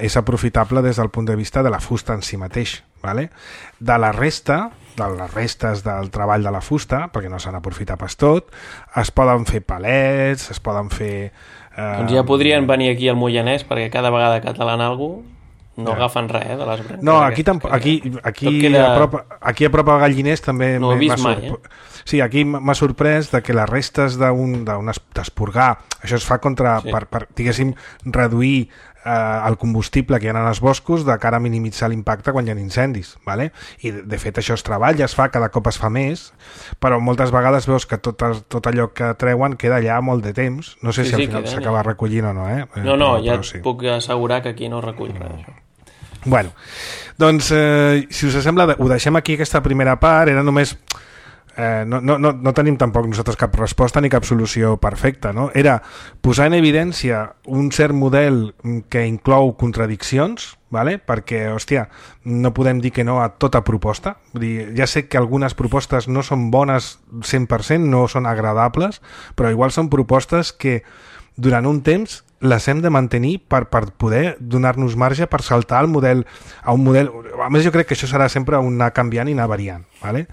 és aprofitable des del punt de vista de la fusta en si mateix. Vale? De la resta, de les restes del treball de la fusta, perquè no s'han aprofitat pas tot, es poden fer palets, es poden fer... Doncs ja podrien venir aquí al Moianès, perquè cada vegada que talen alguna cosa no agafen res, de les branques. No, aquí a prop a Galliners també... No ho he vist mai, Sí, aquí m'ha sorprès de que les restes d'esporgar, això es fa per diguéssim, reduir el combustible que hi ha en els boscos de cara a minimitzar l'impacte quan hi ha incendis, vale? I de fet això es treballa, es fa, cada cop es fa més, però moltes vegades veus que tot allò que treuen queda allà molt de temps, no sé si al final s'acaba recollint o no, No, ja et puc assegurar que aquí no recull res d'això. Bueno, doncs si us sembla ho deixem aquí, aquesta primera part. Era només no tenim tampoc nosaltres cap resposta ni cap solució perfecta, no? Era posar en evidència un cert model que inclou contradiccions, vale? Perquè, hòstia, no podem dir que no a tota proposta. Vull dir, ja sé que algunes propostes no són bones 100%, no són agradables, però igual són propostes que durant un temps les hem de mantenir per poder donar-nos marge per saltar a un model. A més, jo crec que això serà sempre anar canviant i anar variant, ¿vale?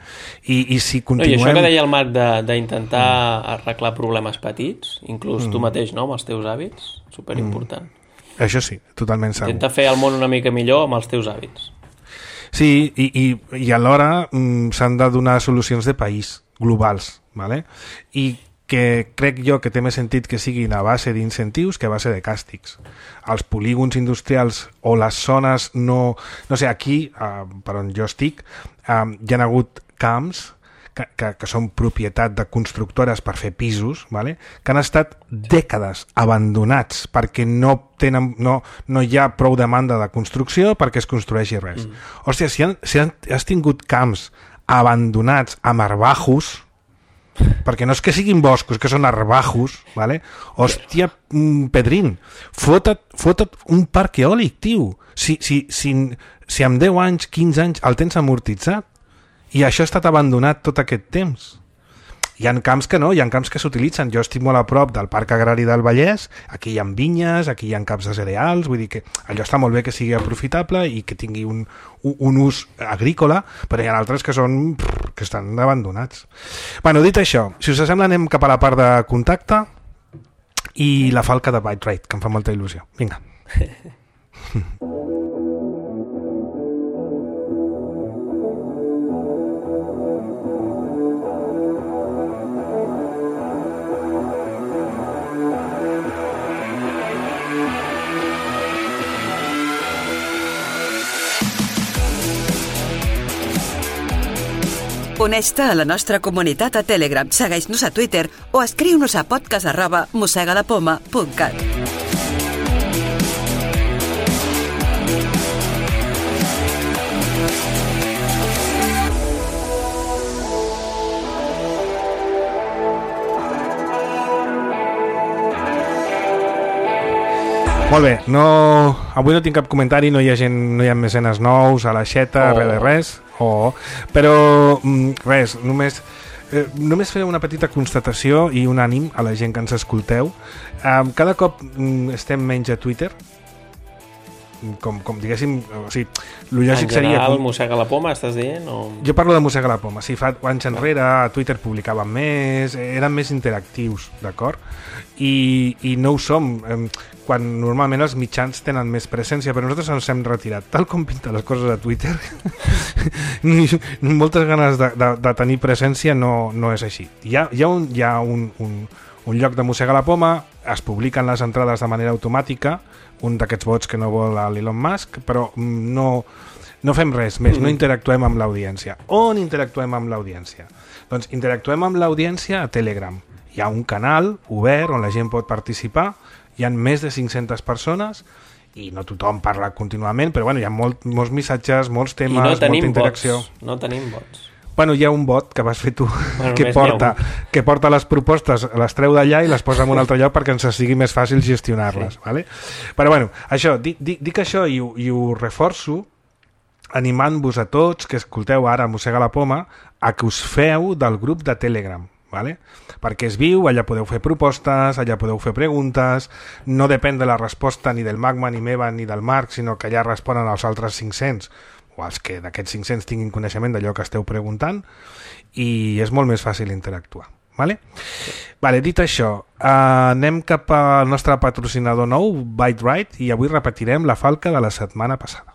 I si continuem... I això que deia el Marc d'intentar arreglar problemes petits, inclús tu mateix, no?, amb els teus hàbits, superimportant. Això sí, totalment segur. Intenta fer el món una mica millor amb els teus hàbits. Sí, i alhora s'han de donar solucions de país, globals, ¿vale? I que crec jo que té més sentit que siguin a base d'incentius que a base de càstigs. Els polígons industrials o les zones no sé, aquí, per on jo estic, hi ha hagut camps que són propietat de constructores per fer pisos, vale? Que han estat dècades abandonats perquè no hi ha prou demanda de construcció perquè es construeixi res. Hòstia, si has tingut camps abandonats amb arbajos, perquè no és que siguin boscos, que són arbajos, vale? Hòstia, Pedrín, fota't un parc eòlic, tio. Si amb 10 anys, 15 anys el tens amortitzat i això ha estat abandonat tot aquest temps. Hi ha camps que no, hi ha camps que s'utilitzen. Jo estic molt a prop del Parc Agrari del Vallès, aquí hi ha vinyes, aquí hi ha camps de cereals, vull dir que allò està molt bé que sigui aprofitable i que tingui un ús agrícola, però hi ha altres que estan abandonats. Bueno, dit això, si us sembla anem cap a la part de contacte i la falca de Byte Rate, que em fa molta il·lusió. Vinga. Uneix-te a la nostra comunitat a Telegram, segueix-nos a Twitter o escriu-nos a podcast@mossegalapoma.cat. Molt bé, avui no tinc cap comentari, no hi ha mecenes nous a l'aixeta, res, però res, només fer una petita constatació i un ànim a la gent que ens escolteu. Cada cop estem menys a Twitter, com diguéssim, o sigui, el lògic seria... En general, mossega la poma, estàs dient? O... Jo parlo de mossega la poma, sí, fa anys enrere a Twitter publicaven més, eren més interactius, d'acord? I no ho som, quan normalment els mitjans tenen més presència, però nosaltres ens hem retirat. Tal com pinta les coses a Twitter, moltes ganes de tenir presència no és així. Hi ha un lloc de mossegar la poma, es publiquen les entrades de manera automàtica, un d'aquests vots que no vol l'Elon Musk, però no fem res més, no interactuem amb l'audiència. On interactuem amb l'audiència? Doncs interactuem amb l'audiència a Telegram. Hi ha un canal obert on la gent pot participar, hi ha més de 500 persones i no tothom parla contínuament, però bueno, hi ha molts missatges, molts temes, molta interacció. No tenim vots. Bueno, hi ha un bot que vas fer tu que porta les propostes, les treu d'allà i les posa en un altre lloc perquè ens sigui més fàcil gestionar-les. Sí. Vale? Però bueno, això, dic això i ho reforço animant-vos a tots que escolteu ara Mossega la Poma a que us feu del grup de Telegram. Vale? Perquè és viu, allà podeu fer propostes, allà podeu fer preguntes, no depèn de la resposta ni del Magma, ni meva, ni del Marc, sinó que allà responen els altres 500 o els que d'aquests 500 tinguin coneixement d'allò que esteu preguntant i és molt més fàcil interactuar. Vale? Vale, dit això, anem cap al nostre patrocinador nou, Byte Rate, i avui repetirem la falca de la setmana passada.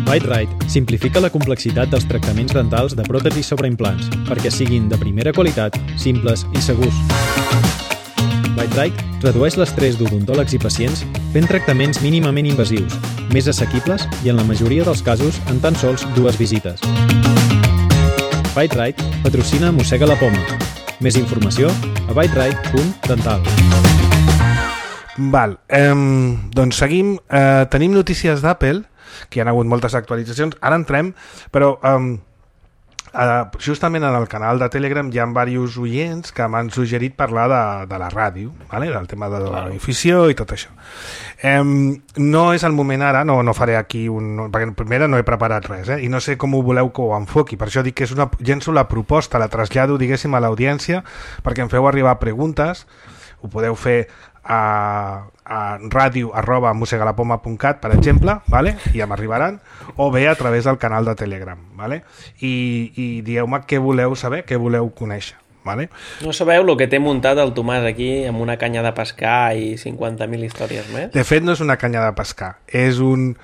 Byte Rate simplifica la complexitat dels tractaments dentals de pròtesis sobre implants perquè siguin de primera qualitat, simples i segurs. Byte Rate redueix l'estrès d'odontòlegs i pacients fent tractaments mínimament invasius, més assequibles i en la majoria dels casos en tan sols 2 visites. Byte Rate patrocina Mossega la Poma. Més informació a byterate.dental. Val, doncs seguim. Tenim notícies d'Apple, que hi ha hagut moltes actualitzacions. Ara entrem, però justament en el canal de Telegram hi ha diversos oients que m'han suggerit parlar de la ràdio, vale? Del tema de la radioafició i tot això. No és el moment ara, no faré aquí perquè primera no he preparat res, i no sé com ho voleu que ho enfoqui, per això dic que llenço la proposta, la trasllado, diguéssim, a l'audiència perquè em feu arribar preguntes. Ho podeu fer a radio@mossegalapoma.cat, per exemple, vale? I ja m'arribaran, o bé a través del canal de Telegram, vale? I dieu-me què voleu saber, què voleu conèixer. Vale? No sabeu el que té muntat el Tomàs aquí amb una canya de pescar i 50.000 històries més? De fet no és una canya de pescar, és un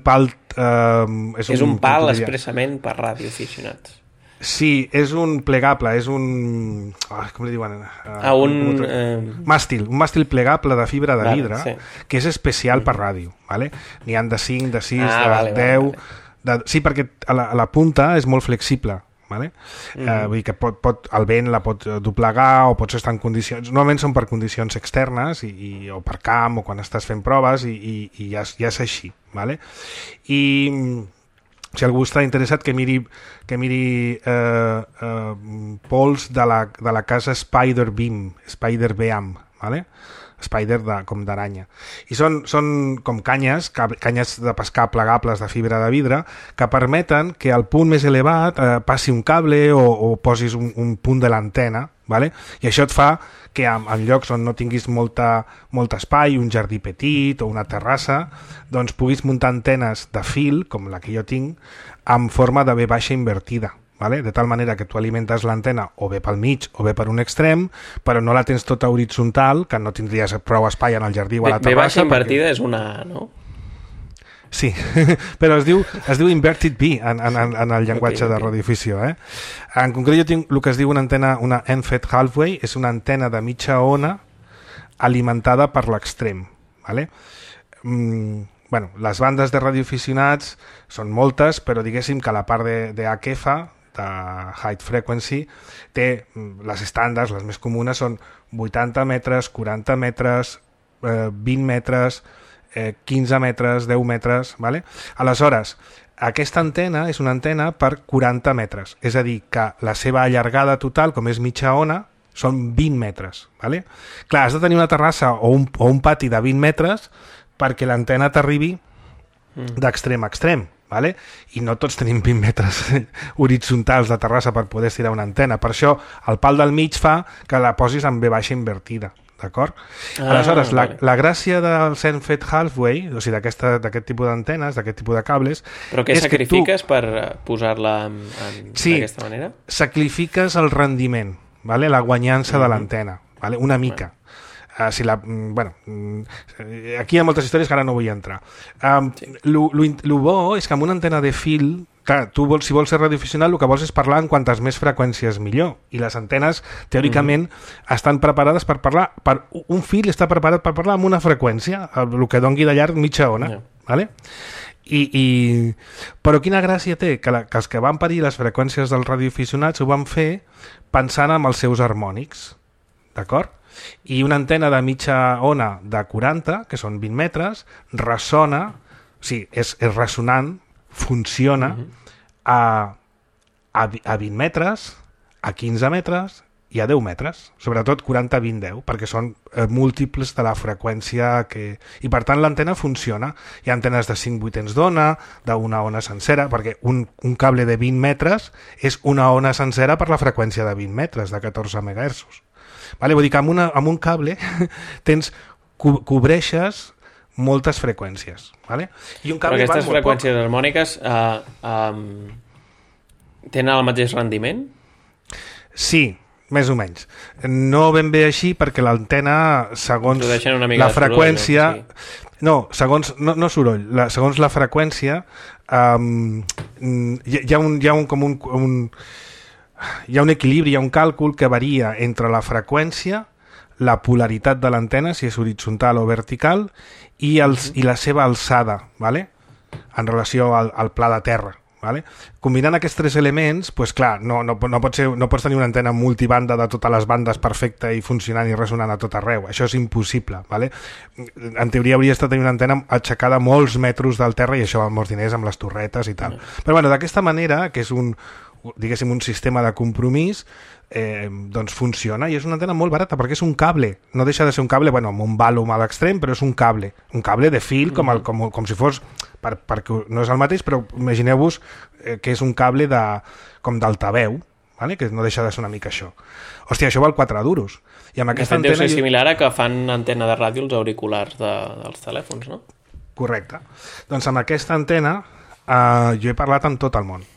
pal expressament per radioaficionats. Sí, és un plegable, és un... com li diuen? Un màstil plegable de fibra de vidre, que és especial per ràdio. Vale? N'hi ha de 5, de 6, de 10... Sí, perquè a la punta és molt flexible. Vale? Vull dir que el vent la pot doblegar o pots estar en condicions... Normalment són per condicions externes o per camp o quan estàs fent proves i ja és així. Vale? I si algú està interessat que miri pols de la casa Spider-Beam, vale? Spider com d'aranya. I són com canyes de pescar plegables de fibra de vidre que permeten que al punt més elevat passi un cable o posis un punt de l'antena, vale? I això et fa que en llocs on no tinguis molt espai, un jardí petit o una terrassa, doncs puguis muntar antenes de fil, com la que jo tinc, en forma de V baixa invertida. Vale? De tal manera que tu alimentes l'antena o bé pel mig o bé per un extrem, però no la tens tota horitzontal, que no tindries prou espai en el jardí o a la terrassa. V baixa invertida és una A, no? Sí, però es diu inverted B en el llenguatge de radioafició. En concret jo tinc el que es diu una antena, una end-fed halfway, és una antena de mitja ona alimentada per l'extrem. Vale? Bueno, les bandes de radioaficionats són moltes, però diguéssim que la part de HF, de High Frequency, té les estàndards, les més comunes són 80 metres, 40 metres, 20 metres, 15 metres, 10 metres, ¿vale? Aleshores, aquesta antena és una antena per 40 metres, és a dir, que la seva allargada total, com és mitja ona, són 20 metres, ¿vale? Clar, has de tenir una terrassa o un pati de 20 metres perquè l'antena t'arribi d'extrem a extrem, ¿vale? I no tots tenim 20 metres horitzontals de terrassa per poder estirar una antena. Per això el pal del mig fa que la posis en V baixa invertida, d'acord? Aleshores, la gràcia del end-fed halfway, o sigui, d'aquest tipus d'antenes, d'aquest tipus de cables... Però què sacrifiques per posar-la d'aquesta manera? Sí, sacrifiques el rendiment, ¿vale? La guanyança de l'antena, ¿vale? Una mica. Aquí hi ha moltes històries que ara no vull entrar. Lo bo és que amb una antena de fil, clar, tu si vols ser radioaficionat, el que vols és parlar en quantes més freqüències millor, i les antenes teòricament estan preparades per parlar, un fil està preparat per parlar amb una freqüència, el que dongui de llarg mitja ona, vale? Però quina gràcia té que els que van parir les freqüències dels radioaficionats ho van fer pensant en els seus harmònics, d'acord? I una antena de mitja ona de 40, que són 20 metres, ressona, o sigui, és ressonant, funciona a 20 metres, a 15 metres i a 10 metres, sobretot 40, 20, 10, perquè són múltiples de la freqüència que... I per tant l'antena funciona. Hi ha antenes de 5/8 d'ona, d'una ona sencera, perquè un cable de 20 metres és una ona sencera per la freqüència de 20 metres, de 14 MHz. Vale? Vull dir que amb un cable cobreixes moltes freqüències. Vale? I un cable però aquestes freqüències harmòniques tenen el mateix rendiment? Sí, més o menys. No ben bé així perquè l'antena, segons la freqüència... No, segons la freqüència hi ha un equilibri, hi ha un càlcul que varia entre la freqüència, la polaritat de l'antena, si és horitzontal o vertical, i la seva alçada, ¿vale? En relació al pla de terra. ¿Vale? Combinant aquests tres elements, pues clar, no pots tenir una antena multibanda de totes les bandes perfecta i funcionant i ressonant a tot arreu. Això és impossible. ¿Vale? En teoria hauries de tenir una antena aixecada molts metres del terra i això val molts diners amb les torretes i tal. Però bueno, d'aquesta manera, que és un sistema de compromís, doncs funciona i és una antena molt barata perquè és un cable, no deixa de ser un cable amb un vàlum a l'extrem, però és un cable de fil, com si fos perquè no és el mateix, però imagineu-vos que és un cable com d'altaveu, ¿vale? Que no deixa de ser una mica això. Hòstia, això val 4 duros. I amb aquesta antena... Deu ser similar a que fan antena de ràdio els auriculars dels telèfons, no? Correcte. Doncs amb aquesta antena jo he parlat amb tot el món.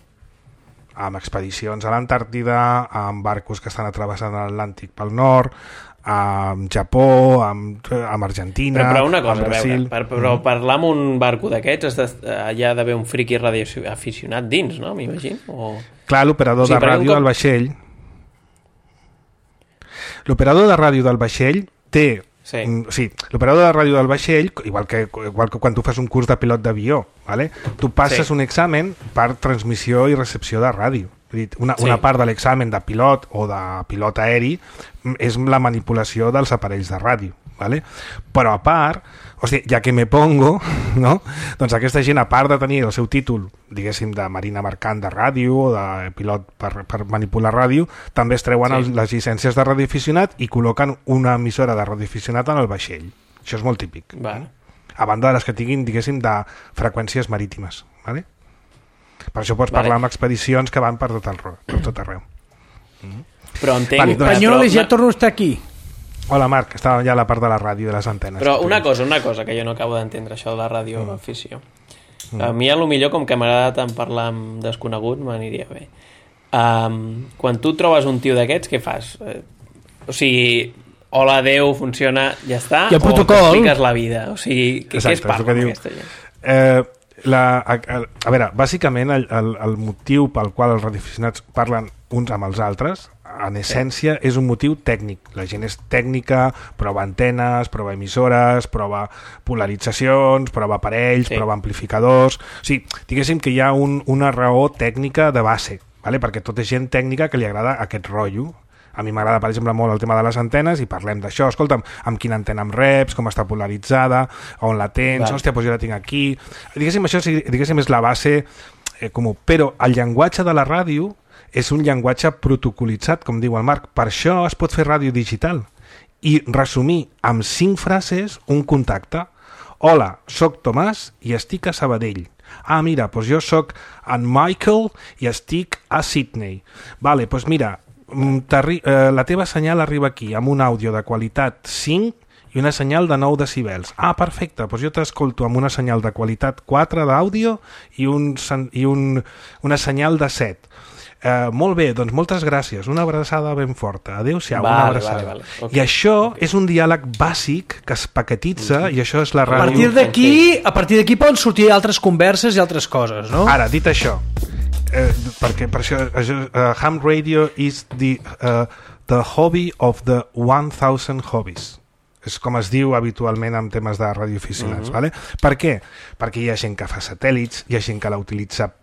amb expedicions a l'Antàrtida, amb barcos que estan travessant l'Atlàntic pel nord, amb Japó, amb Argentina, però una cosa, amb Brasil... però parlar amb un barco d'aquests hi ha d'haver un friqui radioaficionat dins, no? M'imagino. O... Clar, l'operador de ràdio del vaixell... L'operador de ràdio del vaixell té... Sí, l'operador de ràdio del vaixell, igual que quan tu fas un curs de pilot d'avió, ¿vale? Tu passes un examen per transmissió i recepció de ràdio. Una part de l'examen de pilot o de pilot aeri és la manipulació dels aparells de ràdio, ¿vale? Però a part, ja que me pongo, no? Doncs aquesta gent, a part de tenir el seu títol, diguéssim, de marina mercant de ràdio o de pilot per manipular ràdio, també es treuen les llicències de radioaficionat i col·loquen una emissora de radioaficionat en el vaixell. Això és molt típic. A banda de les que tinguin, diguéssim, de freqüències marítimes, ¿vale? Per això pots parlar amb expedicions que van per tot arreu. Però entenc... Espanyol, ja torno a estar aquí. Hola, Marc, estava ja a la part de la ràdio i de les antenes. Però una cosa que jo no acabo d'entendre, això de la radioafició. A mi, a lo millor, com que m'agrada tant parlar amb desconegut, m'aniria bé. Quan tu trobes un tio d'aquests, què fas? O sigui, hola, adeu, funciona, ja està? I el protocol? O t'expliques la vida? O sigui, què es parla amb aquesta gent? A veure, bàsicament el motiu pel qual els radioaficionats parlen uns amb els altres, en essència, és un motiu tècnic. La gent és tècnica, prova antenes, prova emissores, prova polaritzacions, prova aparells, prova amplificadors... O sigui, diguéssim que hi ha una raó tècnica de base, ¿vale? Perquè tot és gent tècnica que li agrada aquest rotllo. A mi m'agrada, per exemple, molt el tema de les antenes i parlem d'això. Escolta'm, amb quina antena em reps, com està polaritzada, on la tens, hòstia, doncs jo la tinc aquí... Diguéssim, això és la base comú. Però el llenguatge de la ràdio és un llenguatge protocolitzat, com diu el Marc. Per això es pot fer ràdio digital i resumir amb 5 frases un contacte. Hola, soc Tomàs i estic a Sabadell. Ah, mira, doncs jo soc en Michael i estic a Sydney. Vale, doncs mira, la teva senyal arriba aquí amb un àudio de qualitat 5 i una senyal de 9 decibels. Ah, perfecte, doncs jo t'escolto amb una senyal de qualitat 4 d'àudio i una senyal de 7. Molt bé, doncs moltes gràcies, una abraçada ben forta, adéu-siau, una abraçada. Okay. I això és un diàleg bàsic que es paquetitza i això és la ràdio. A partir d'aquí poden sortir altres converses i altres coses, no? Ara, dit això, perquè per això ham radio is the hobby of the 1,000 hobbies. És com es diu habitualment en temes de radioaficionats, ¿vale? Per què? Perquè hi ha gent que fa satèl·lits, hi ha gent que la utilitza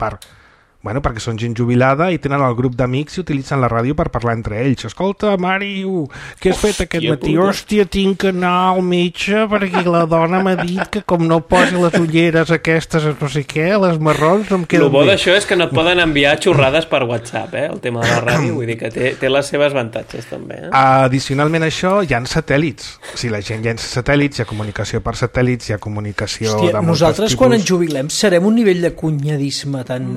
perquè són gent jubilada i tenen el grup d'amics i utilitzen la ràdio per parlar entre ells. Escolta, Màriu, què has fet aquest matí? Hòstia, tinc que anar al metge perquè la dona m'ha dit que com no posi les ulleres aquestes, no sé què, les marrons no em queden bé. El bo d'això és que no et poden enviar xorrades per WhatsApp, el tema de la ràdio, vull dir que té les seves avantatges també. Addicionalment a això, hi ha satèl·lits. Si la gent llença satèl·lits, hi ha comunicació per satèl·lits, hi ha comunicació de moltes nosaltres tipus. Quan ens jubilem serem un nivell de cunyadisme tan...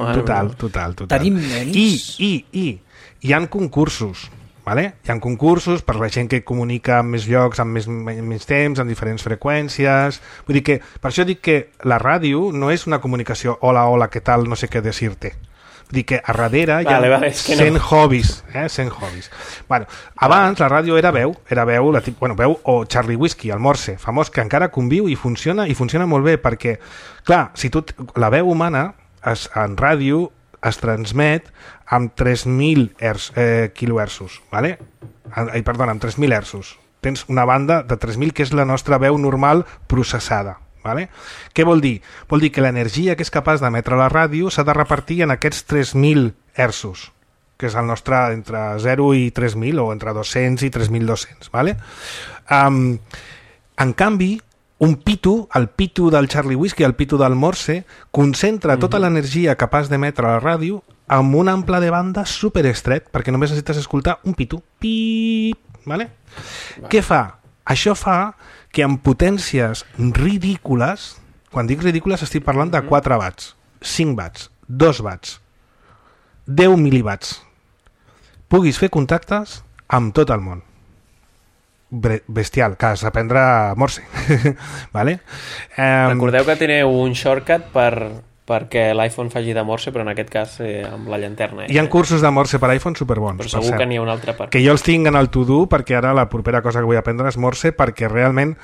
Total. Tan immens. I hi ha concursos, ¿vale? Hi ha concursos per la gent que comunica en més llocs, amb més temps, amb diferents freqüències. Vull dir que, per això dic que la ràdio no és una comunicació hola, què tal, no sé què dir-te. Vull dir que a darrere hi ha 100 hobbies, 100 hobbies. Bueno, abans la ràdio era veu o Charlie Whiskey, el Morse, famós, que encara conviu i funciona molt bé, perquè, clar, si la veu humana en ràdio es transmet amb 3.000 quilohertzos, ¿vale? Perdona, amb 3.000 hertzos. Tens una banda de 3.000 que és la nostra veu normal processada, ¿vale? Què vol dir? Vol dir que l'energia que és capaç d'emetre la ràdio s'ha de repartir en aquests 3.000 hertzos, que és el nostre entre 0 i 3.000 o entre 200 i 3.200, ¿vale? En canvi, un pitu, el pitu del Charlie Whiskey, el pitu del Morse, concentra tota l'energia capaç d'emetre la ràdio amb un ample de banda superestret, perquè només necessites escoltar un pitu. Pip! ¿Vale? Què fa? Això fa que amb potències ridícules, quan dic ridícules estic parlant de 4 watts, 5 watts, 2 watts, 10 mil·liwatts, puguis fer contactes amb tot el món. Bestial, que has d'aprendre Morse. ¿Vale? Recordeu que teniu un shortcut per perquè l'iPhone faci de Morse, però en aquest cas amb la llanterna. Hi ha cursos de Morse per iPhone superbons. Però segur que n'hi ha un altre per... Que jo els tinc en el to-do, perquè ara la propera cosa que vull aprendre és Morse, perquè realment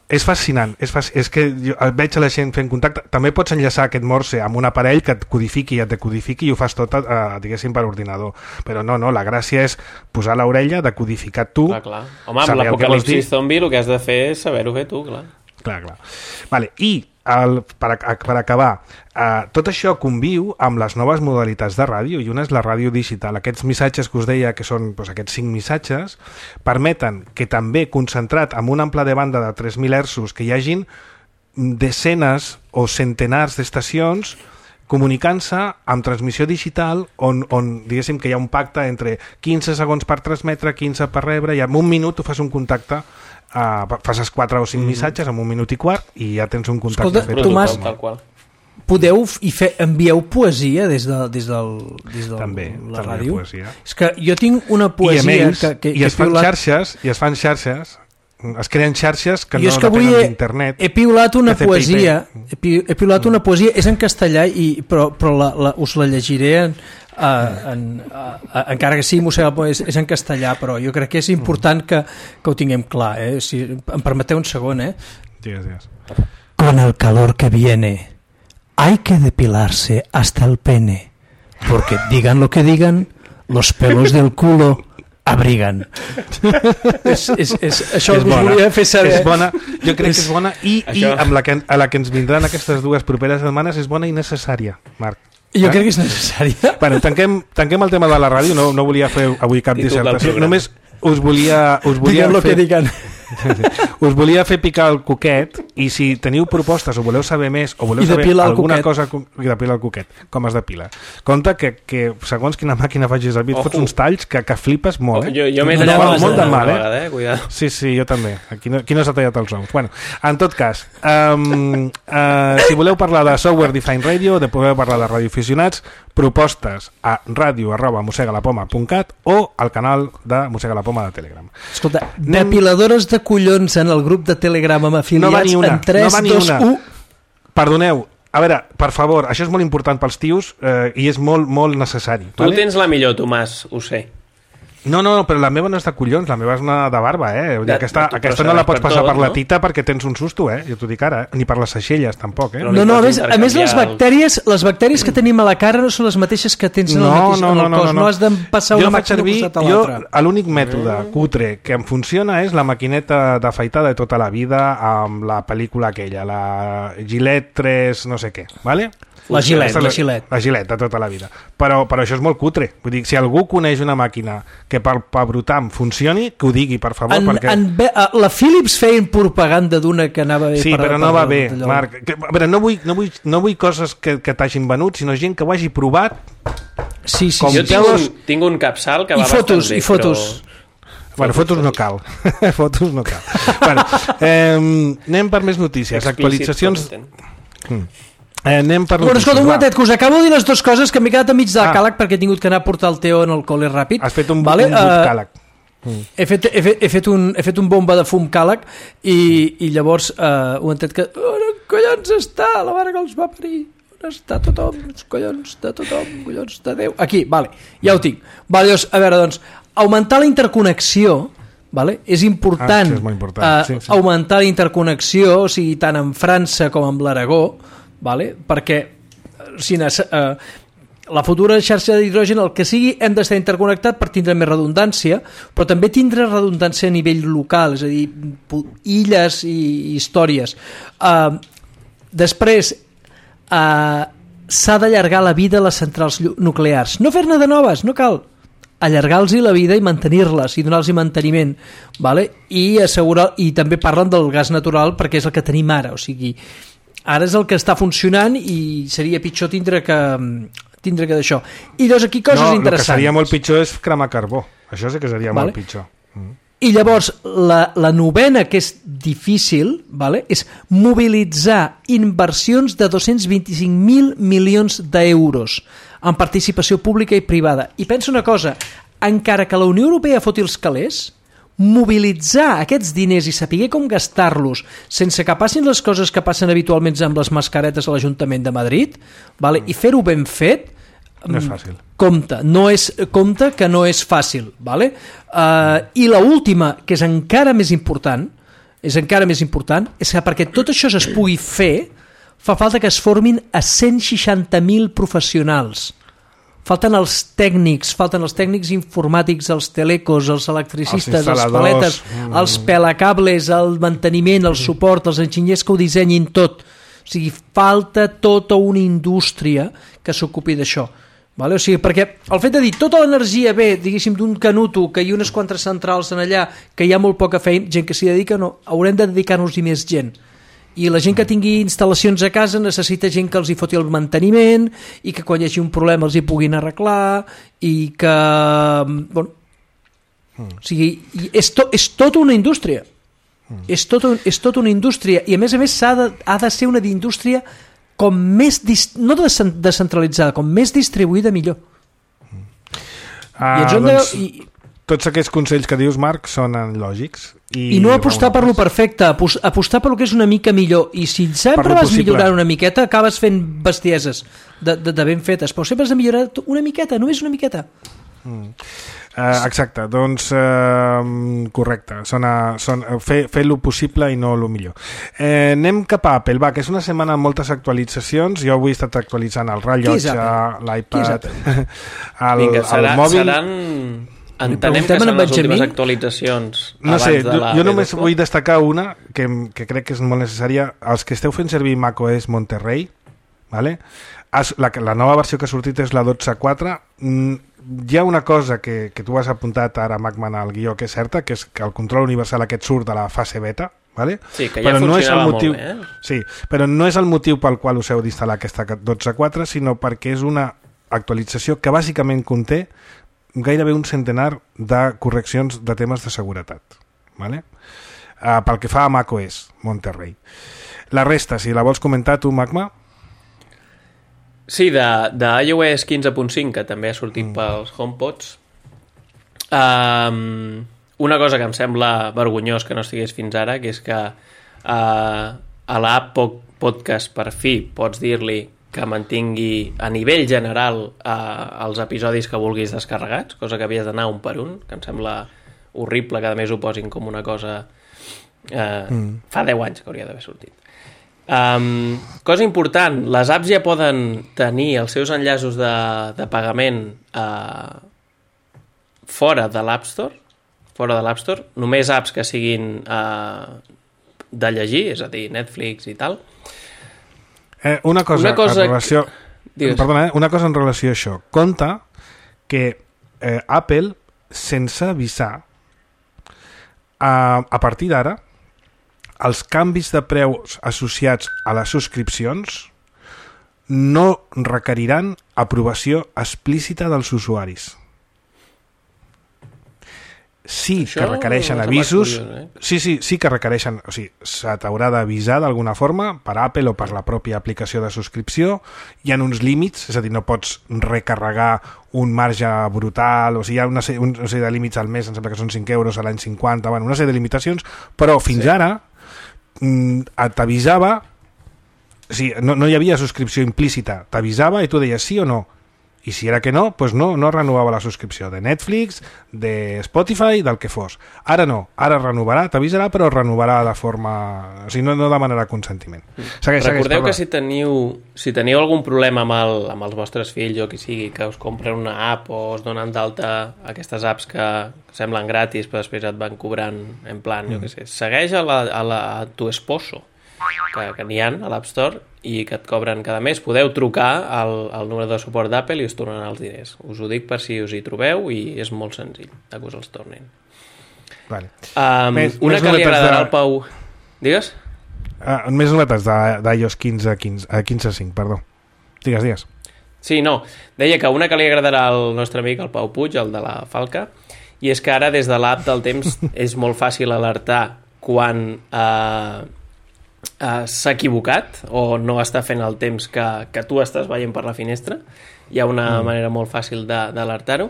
és fascinant. És que jo veig a la gent fent contacte. També pots enllaçar aquest Morse amb un aparell que et codifiqui i et decodifiqui i ho fas tot, diguéssim, per ordinador. Però no, la gràcia és posar l'orella, decodificar tu... Clar. Home, amb l'apocalipsis zombi el que has de fer és saber-ho fer tu, clar. Clar. Vale, i per acabar, tot això conviu amb les noves modalitats de ràdio, i una és la ràdio digital. Aquests missatges que us deia, que són aquests 5 missatges, permeten que també, concentrat en un ample de banda de 3.000 Hz, que hi hagin desenes o centenars d'estacions comunicant-se amb transmissió digital on diguéssim que hi ha un pacte entre 15 segons per transmetre, 15 per rebre, i en un minut tu fas un contacte, fas 4 o 5 missatges en un minut i quart i ja tens un contacte. Escolta, Tomàs, podeu envieu poesia des de també, la ràdio? Poesia. És que jo tinc una poesia i es fan xarxes, es creen xarxes que no depenen d'internet. He piulat una poesia, és en castellà, però us la llegiré encara que sí, és en castellà, però jo crec que és important que ho tinguem clar. Si em permeteu un segon. Digues. Con el calor que viene hay que depilarse hasta el pene, porque digan lo que digan, los pelos del culo abrigan. Això us volia fer saber. És bona, jo crec que és bona, i amb la que ens vindran aquestes 2 properes setmanes és bona i necessària, Marc. Jo crec que és necessària. Bueno, tanquem el tema de la ràdio, no volia fer avui cap dissertació, només us volia fer... Us volia fer picar el coquet, i si teniu propostes o voleu saber més o voleu saber alguna cosa i depilar el coquet, com es depila, compte que segons quina màquina facis servir fots uns talls que flipes molt, jo m'he tallat molt de mal, cuidado. Sí, jo també, aquí no s'ha tallat els ous. Bueno, en tot cas, si voleu parlar de Software Defined Radio, podeu parlar de radioaficionats, propostes a radio@mossegalapoma.cat o al canal de Mossega la Poma de Telegram. Escolta, depiladores de collons en el grup de Telegram amb afiliats en 3, 2, 1... Perdoneu, a veure, per favor, això és molt important pels tios i és molt, molt necessari. Tu tens la millor, Tomàs, ho sé. No, però la meva no és de collons, la meva és una de barba, Aquesta no la pots passar per la tita perquè tens un susto, jo t'ho dic ara, ni per les seixelles tampoc, No, a més les bactèries que tenim a la cara no són les mateixes que tens en el cos, no has de passar una màquina costat a l'altra. L'únic mètode cutre que em funciona és la maquineta d'afaitar de tota la vida amb la pel·lícula aquella, la Gillette 3 no sé què, vale? La Gillette de tota la vida, però això és molt cutre. Vull dir, si algú coneix una màquina que per Brutam funcioni, que ho digui, per favor, perquè... La Philips feien propaganda d'una que anava bé. Sí, però no va bé, Marc. A veure, no vull coses que t'hagin venut, sinó gent que ho hagi provat. Sí. Jo tinc un capçal que va bastant bé, i fotos. Bueno, fotos no cal. Bueno, anem per més notícies. Actualitzacions... Anem per notícies. Escolta, un momentet, que us acabo de dir les 2 coses que m'he quedat a mig de càleg perquè he tingut que anar a portar el Teo en el col·le ràpid. Has fet un càleg. He fet un bomba de fum càleg i llavors un momentet que... On collons està la mare que els va parir? On està tothom? Els collons de tothom? Collons de Déu? Aquí, ja ho tinc. Llavors, a veure, doncs, augmentar la interconnexió, és important, augmentar la interconnexió, o sigui, tant en França com amb l'Aragó, perquè la futura xarxa d'hidrogen, el que sigui, hem d'estar interconnectat per tindre més redundància, però també tindre redundància a nivell local, és a dir, illes i històries. Després, s'ha d'allargar la vida a les centrals nuclears. No fer-ne de noves, no cal. Allargar-los la vida i mantenir-les i donar-los manteniment, i assegurar, i també parlen del gas natural perquè és el que tenim ara, o sigui, ara és el que està funcionant i seria pitjor tindre que d'això. I llavors aquí coses interessants. El que seria molt pitjor és cremar carbó, això sí que seria molt pitjor. I llavors la novena, que és difícil, és mobilitzar inversions de 225.000 milions d'euros en participació pública i privada. I penso una cosa, encara que la Unió Europea foti els calés, mobilitzar aquests diners i saber com gastar-los sense que passin les coses que passen habitualment amb les mascaretes a l'Ajuntament de Madrid, vale? I fer-ho ben fet, no és fàcil. Compte que no és fàcil, vale? I l'última, que és encara més important, és que perquè tot això es pugui fer, fa falta que es formin a 160.000 professionals. Falten els tècnics informàtics, els telecos, els electricistes, els paletes, els pelacables, el manteniment, el suport, els enginyers que ho dissenyin tot. O sigui, falta tota una indústria que s'ocupi d'això. Vale? O sigui, perquè el fet de dir tota l'energia ve, diguéssim, d'un canuto, que hi ha unes quantes centrals en allà, que hi ha molt poca feina, gent que s'hi dedica, no, haurem de dedicar-nos-hi més gent. I la gent que tingui instal·lacions a casa necessita gent que els hi foti el manteniment i que quan hi hagi un problema els hi puguin arreglar i que... Bueno, o sigui, és tota una indústria. És tota una indústria i a més ha de ser una indústria com més no descentralitzada, com més distribuïda millor. Tots aquests consells que dius, Marc, són lògics. I no apostar per lo perfecte, apostar per lo que és una mica millor. I si sempre vas millorant una miqueta, acabes fent bestieses de ben fetes. Però sempre has de millorar una miqueta, només una miqueta. Exacte, doncs correcte, fer lo possible i no lo millor. Anem cap a Apple, que és una setmana amb moltes actualitzacions. Jo avui he estat actualitzant el rellotge, l'iPad, el mòbil. Entenem que són les últimes actualitzacions. No sé, jo només vull destacar una que crec que és molt necessària. Els que esteu fent servir macOS Monterey, vale? La nova versió que ha sortit és la 12.4. Hi ha una cosa que tu has apuntat ara, Macman, al guió, que és certa, que és que el control universal aquest surt de la fase beta, vale? Sí, que ja funcionava molt bé. Sí, però no és el motiu pel qual us heu d'instal·lar aquesta 12.4, sinó perquè és una actualització que bàsicament conté gairebé un centenar de correccions de temes de seguretat, vale? Pel que fa a macOS Monterey. La resta, si la vols comentar tu, Magma? Sí, d'iOS 15.5, que també ha sortit pels HomePods. Una cosa que em sembla vergonyós que no estigués fins ara, que és que a l'app Podcast per fi pots dir-li que mantingui a nivell general els episodis que vulguis descarregats, cosa que havies d'anar un per un, que em sembla horrible que a més ho posin com una cosa fa 10 anys que hauria d'haver sortit. Cosa important, les apps ja poden tenir els seus enllaços de pagament fora de l'App Store, només apps que siguin de llegir, és a dir, Netflix i tal. Una cosa en relació a això. Compte que Apple, sense avisar, a partir d'ara, els canvis de preus associats a les subscripcions no requeriran aprovació explícita dels usuaris. Sí que requereixen avisos, sí que requereixen, o sigui, se t'haurà d'avisar d'alguna forma per Apple o per la pròpia aplicació de subscripció. Hi ha uns límits, és a dir, no pots recarregar un marge brutal, o sigui, hi ha una sèrie de límits al mes, em sembla que són 5 euros a l'any 50, bueno, una sèrie de limitacions, però fins ara t'avisava, o sigui, no hi havia subscripció implícita, t'avisava i tu deies sí o no. I si era que no, doncs no renovava la subscripció de Netflix, de Spotify, del que fos. Ara no, ara renovarà, t'avisarà, però renovarà de forma... O sigui, no demanarà consentiment. Recordeu que si teniu algun problema amb els vostres fills o qui sigui, que us compren una app o us donen d'alta aquestes apps que semblen gratis però després et van cobrant en plan, jo què sé, segueix a tu esposo, que n'hi ha a l'App Store i que et cobren cada mes, podeu trucar al número de suport d'Apple i us tornen els diners. Us ho dic per si us hi trobeu i és molt senzill que us els tornin. Vale. Una que li agradarà al Pau... Digues? Més novetats d'iOS 15.5, perdó. Digues. Sí, no. Deia que una que li agradarà al nostre amic, el Pau Puig, el de la Falca, i és que ara des de l'app del temps és molt fàcil alertar quan... s'ha equivocat o no està fent el temps que tu estàs veient per la finestra. Hi ha una manera molt fàcil d'alertar-ho,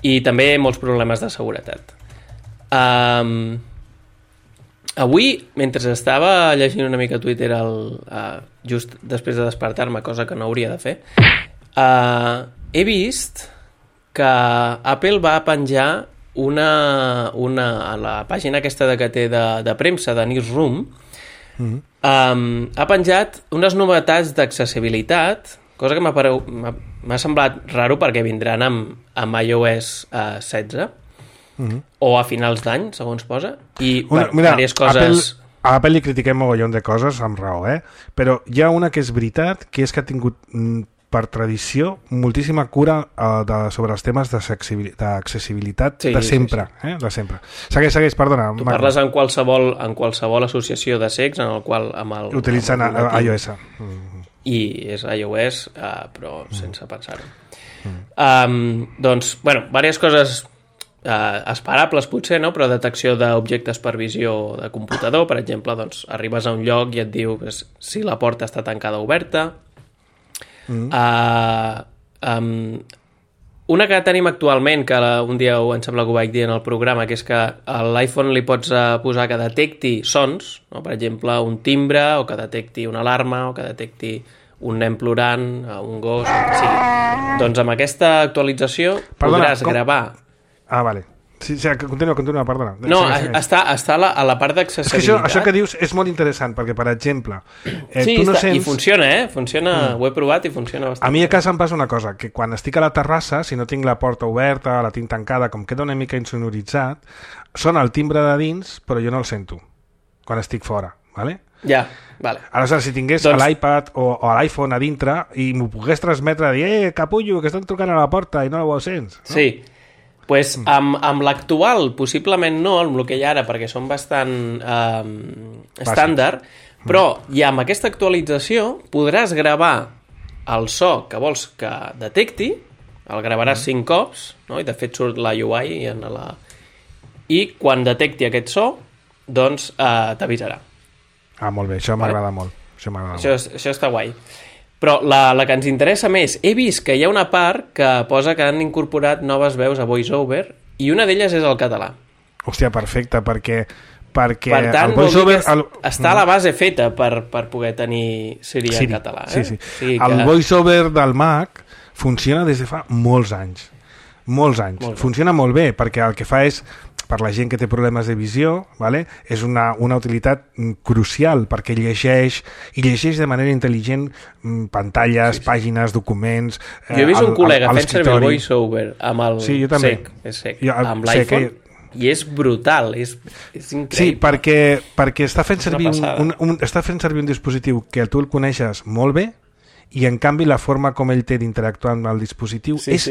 i també molts problemes de seguretat. avui, mentre estava llegint una mica Twitter just després de despertar-me, cosa que no hauria de fer, he vist que Apple va penjar a la pàgina aquesta que té de premsa, de Newsroom, ha penjat unes novetats d'accessibilitat, cosa que m'ha semblat raro perquè vindran amb iOS 16, o a finals d'any, segons posa, i diverses coses... A Apple li critiquem mogollon de coses, amb raó, però hi ha una que és veritat, que és que ha tingut per tradició moltíssima cura sobre els temes d'accessibilitat de sempre. De sempre. Segueix, perdona. Tu parles en qualsevol associació de cecs en el qual... Utilitzen iOS. I és iOS, però sense pensar-ho. Doncs, diverses coses esperables potser, no? Però detecció d'objectes per visió de computador, per exemple, doncs arribes a un lloc i et diu si la porta està tancada o oberta. Una que tenim actualment, que un dia em sembla que ho vaig dir en el programa, que és que a l'iPhone li pots posar que detecti sons, no? Per exemple, un timbre, o que detecti una alarma, o que detecti un nen plorant, un gos, el que sigui. Doncs amb aquesta actualització podràs gravar... vale. Sí, continua, perdona. No, està a la part d'accessibilitat. És que això que dius és molt interessant, perquè, per exemple... Sí, tu no sents... i funciona, Funciona, ho he provat i funciona bastant. A mi a casa em passa una cosa, que quan estic a la terrassa, si no tinc la porta oberta, la tinc tancada, com queda una mica insonoritzat, sona el timbre de dins, però jo no el sento, quan estic fora, ¿vale? Ja, vale. Aleshores, si tingués l'iPad o l'iPhone a dintre i m'ho pogués transmetre, dir, capullo, que estan trucant a la porta i no ho sents. No? Sí, pues amb l'actual possiblement no, amb el que hi ha ara, perquè són bastant estàndard, però ja amb aquesta actualització podràs gravar el so que vols que detecti, el gravaràs 5 cops, no? I de fet surt la UI i quan detecti aquest so, doncs t'avisarà. Molt bé, això m'agrada molt. Això està guai. Però la que ens interessa més, he vist que hi ha una part que posa que han incorporat noves veus a VoiceOver i una d'elles és el català. Hòstia, perfecte, perquè per tant, el VoiceOver... està a la base feta per poder tenir Siri en català. Sí. El VoiceOver del Mac funciona des de fa molts anys. Funciona molt bé, perquè el que fa és... per la gent que té problemes de visió, ¿vale? És una utilitat crucial perquè llegeix de manera intel·ligent pantalles, pàgines, documents... Jo he vist un col·lega fent servir el VoiceOver amb el sec, amb l'iPhone, i és brutal, és increïble. Sí, perquè està fent servir un dispositiu que tu el coneixes molt bé, i en canvi la forma com ell té d'interactuar amb el dispositiu és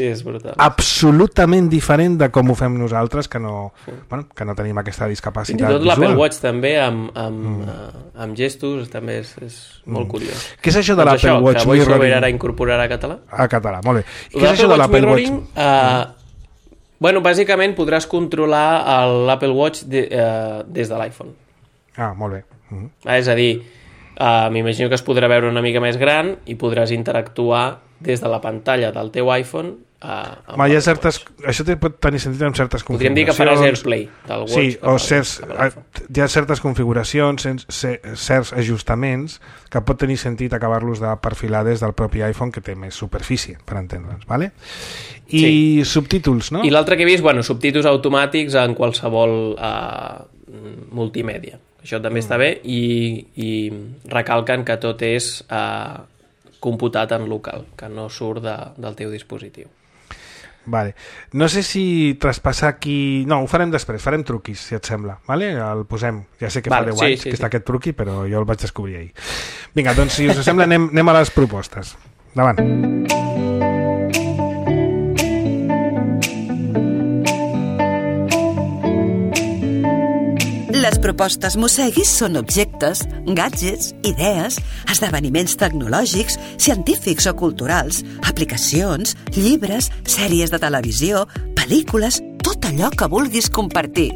absolutament diferent de com ho fem nosaltres que no tenim aquesta discapacitat visual. Fins i tot l'Apple Watch també amb gestos també és molt curiós. Què és això de l'Apple Watch Mirroring? Que VoiceOver ara incorporarà català? Català, molt bé. I què és això de l'Apple Watch? Bàsicament podràs controlar l'Apple Watch des de l'iPhone. Molt bé. És a dir, m'imagino que es podrà veure una mica més gran i podràs interactuar des de la pantalla del teu iPhone això pot tenir sentit en certes configuracions. Podríem dir que faràs AirPlay del Watch. Hi ha certes configuracions, certs ajustaments que pot tenir sentit acabar-los de perfilar des del propi iPhone, que té més superfície, per entendre'ns, ¿vale? I subtítols, no? I l'altre que he vist, subtítols automàtics en qualsevol multimèdia. Això també està bé i recalquen que tot és computat en local, que no surt del teu dispositiu. Vale. No sé si traspassar aquí... No, ho farem després, farem truquis, si et sembla. Vale? El posem. Ja sé que fa 10 anys que està aquest truqui, però jo el vaig descobrir ahir. Vinga, doncs si us sembla anem a les propostes. Endavant. Les propostes Mosseguis són objectes, gadgets, idees, esdeveniments tecnològics, científics o culturals, aplicacions, llibres, sèries de televisió, pel·lícules, tot allò que vulguis compartir.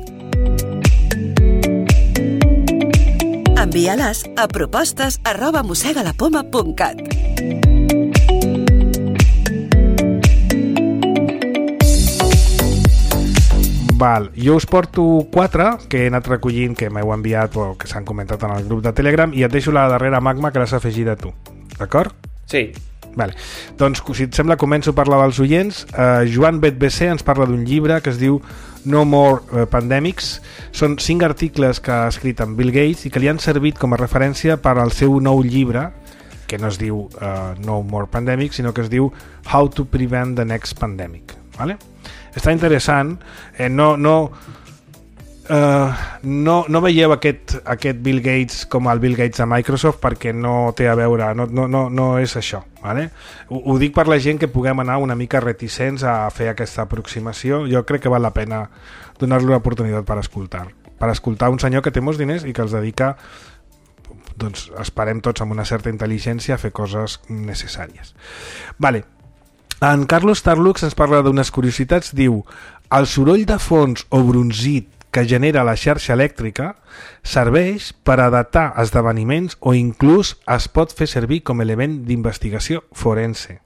Envia-les a propostes@mossegalapoma.cat. Val. Jo us porto 4 que he anat recollint, que m'heu enviat o que s'han comentat en el grup de Telegram, i et deixo la darrera, Magma, que l'has afegida tu. D'acord? Sí. Vale. Doncs, si et sembla, començo a parlar dels oients. Joan BetBC ens parla d'un llibre que es diu No More Pandemics. Són 5 articles que ha escrit en Bill Gates i que li han servit com a referència per al seu nou llibre, que no es diu No More Pandemics, sinó que es diu How to Prevent the Next Pandemic. Vale? Està interessant. No veieu aquest Bill Gates com el Bill Gates de Microsoft, perquè no té a veure, no és això, vale? Ho dic per la gent que puguem anar una mica reticents a fer aquesta aproximació. Jo crec que val la pena donar-li una oportunitat per escoltar un senyor que té molts diners i que els dedica, doncs esperem tots amb una certa intel·ligència, a fer coses necessàries. Vale. En Carlos Tarlux ens parla d'unes curiositats. Diu: el soroll de fons o brunzit que genera la xarxa elèctrica serveix per a datar esdeveniments o inclús es pot fer servir com a element d'investigació forense.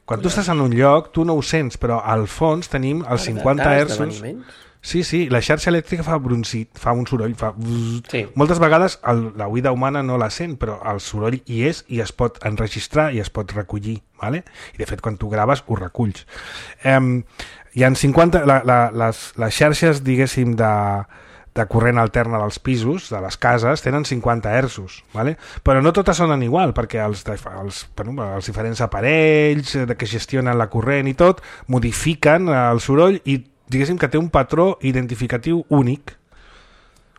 Quan tu estàs en un lloc, tu no ho sents, però al fons tenim els 50 hertzos. Sí, la xarxa elèctrica fa brunzit, fa un soroll, fa... Sí. Moltes vegades la oïda humana no la sent, però el soroll hi és i es pot enregistrar i es pot recollir, ¿vale? I de fet quan tu graves ho reculls. Hi ha 50... les xarxes, diguéssim, de corrent alterna dels pisos, de les cases, tenen 50 hertzos, ¿vale? Però no totes sonen igual, perquè els diferents aparells que gestionen la corrent i tot modifiquen el soroll i diguéssim que té un patró identificatiu únic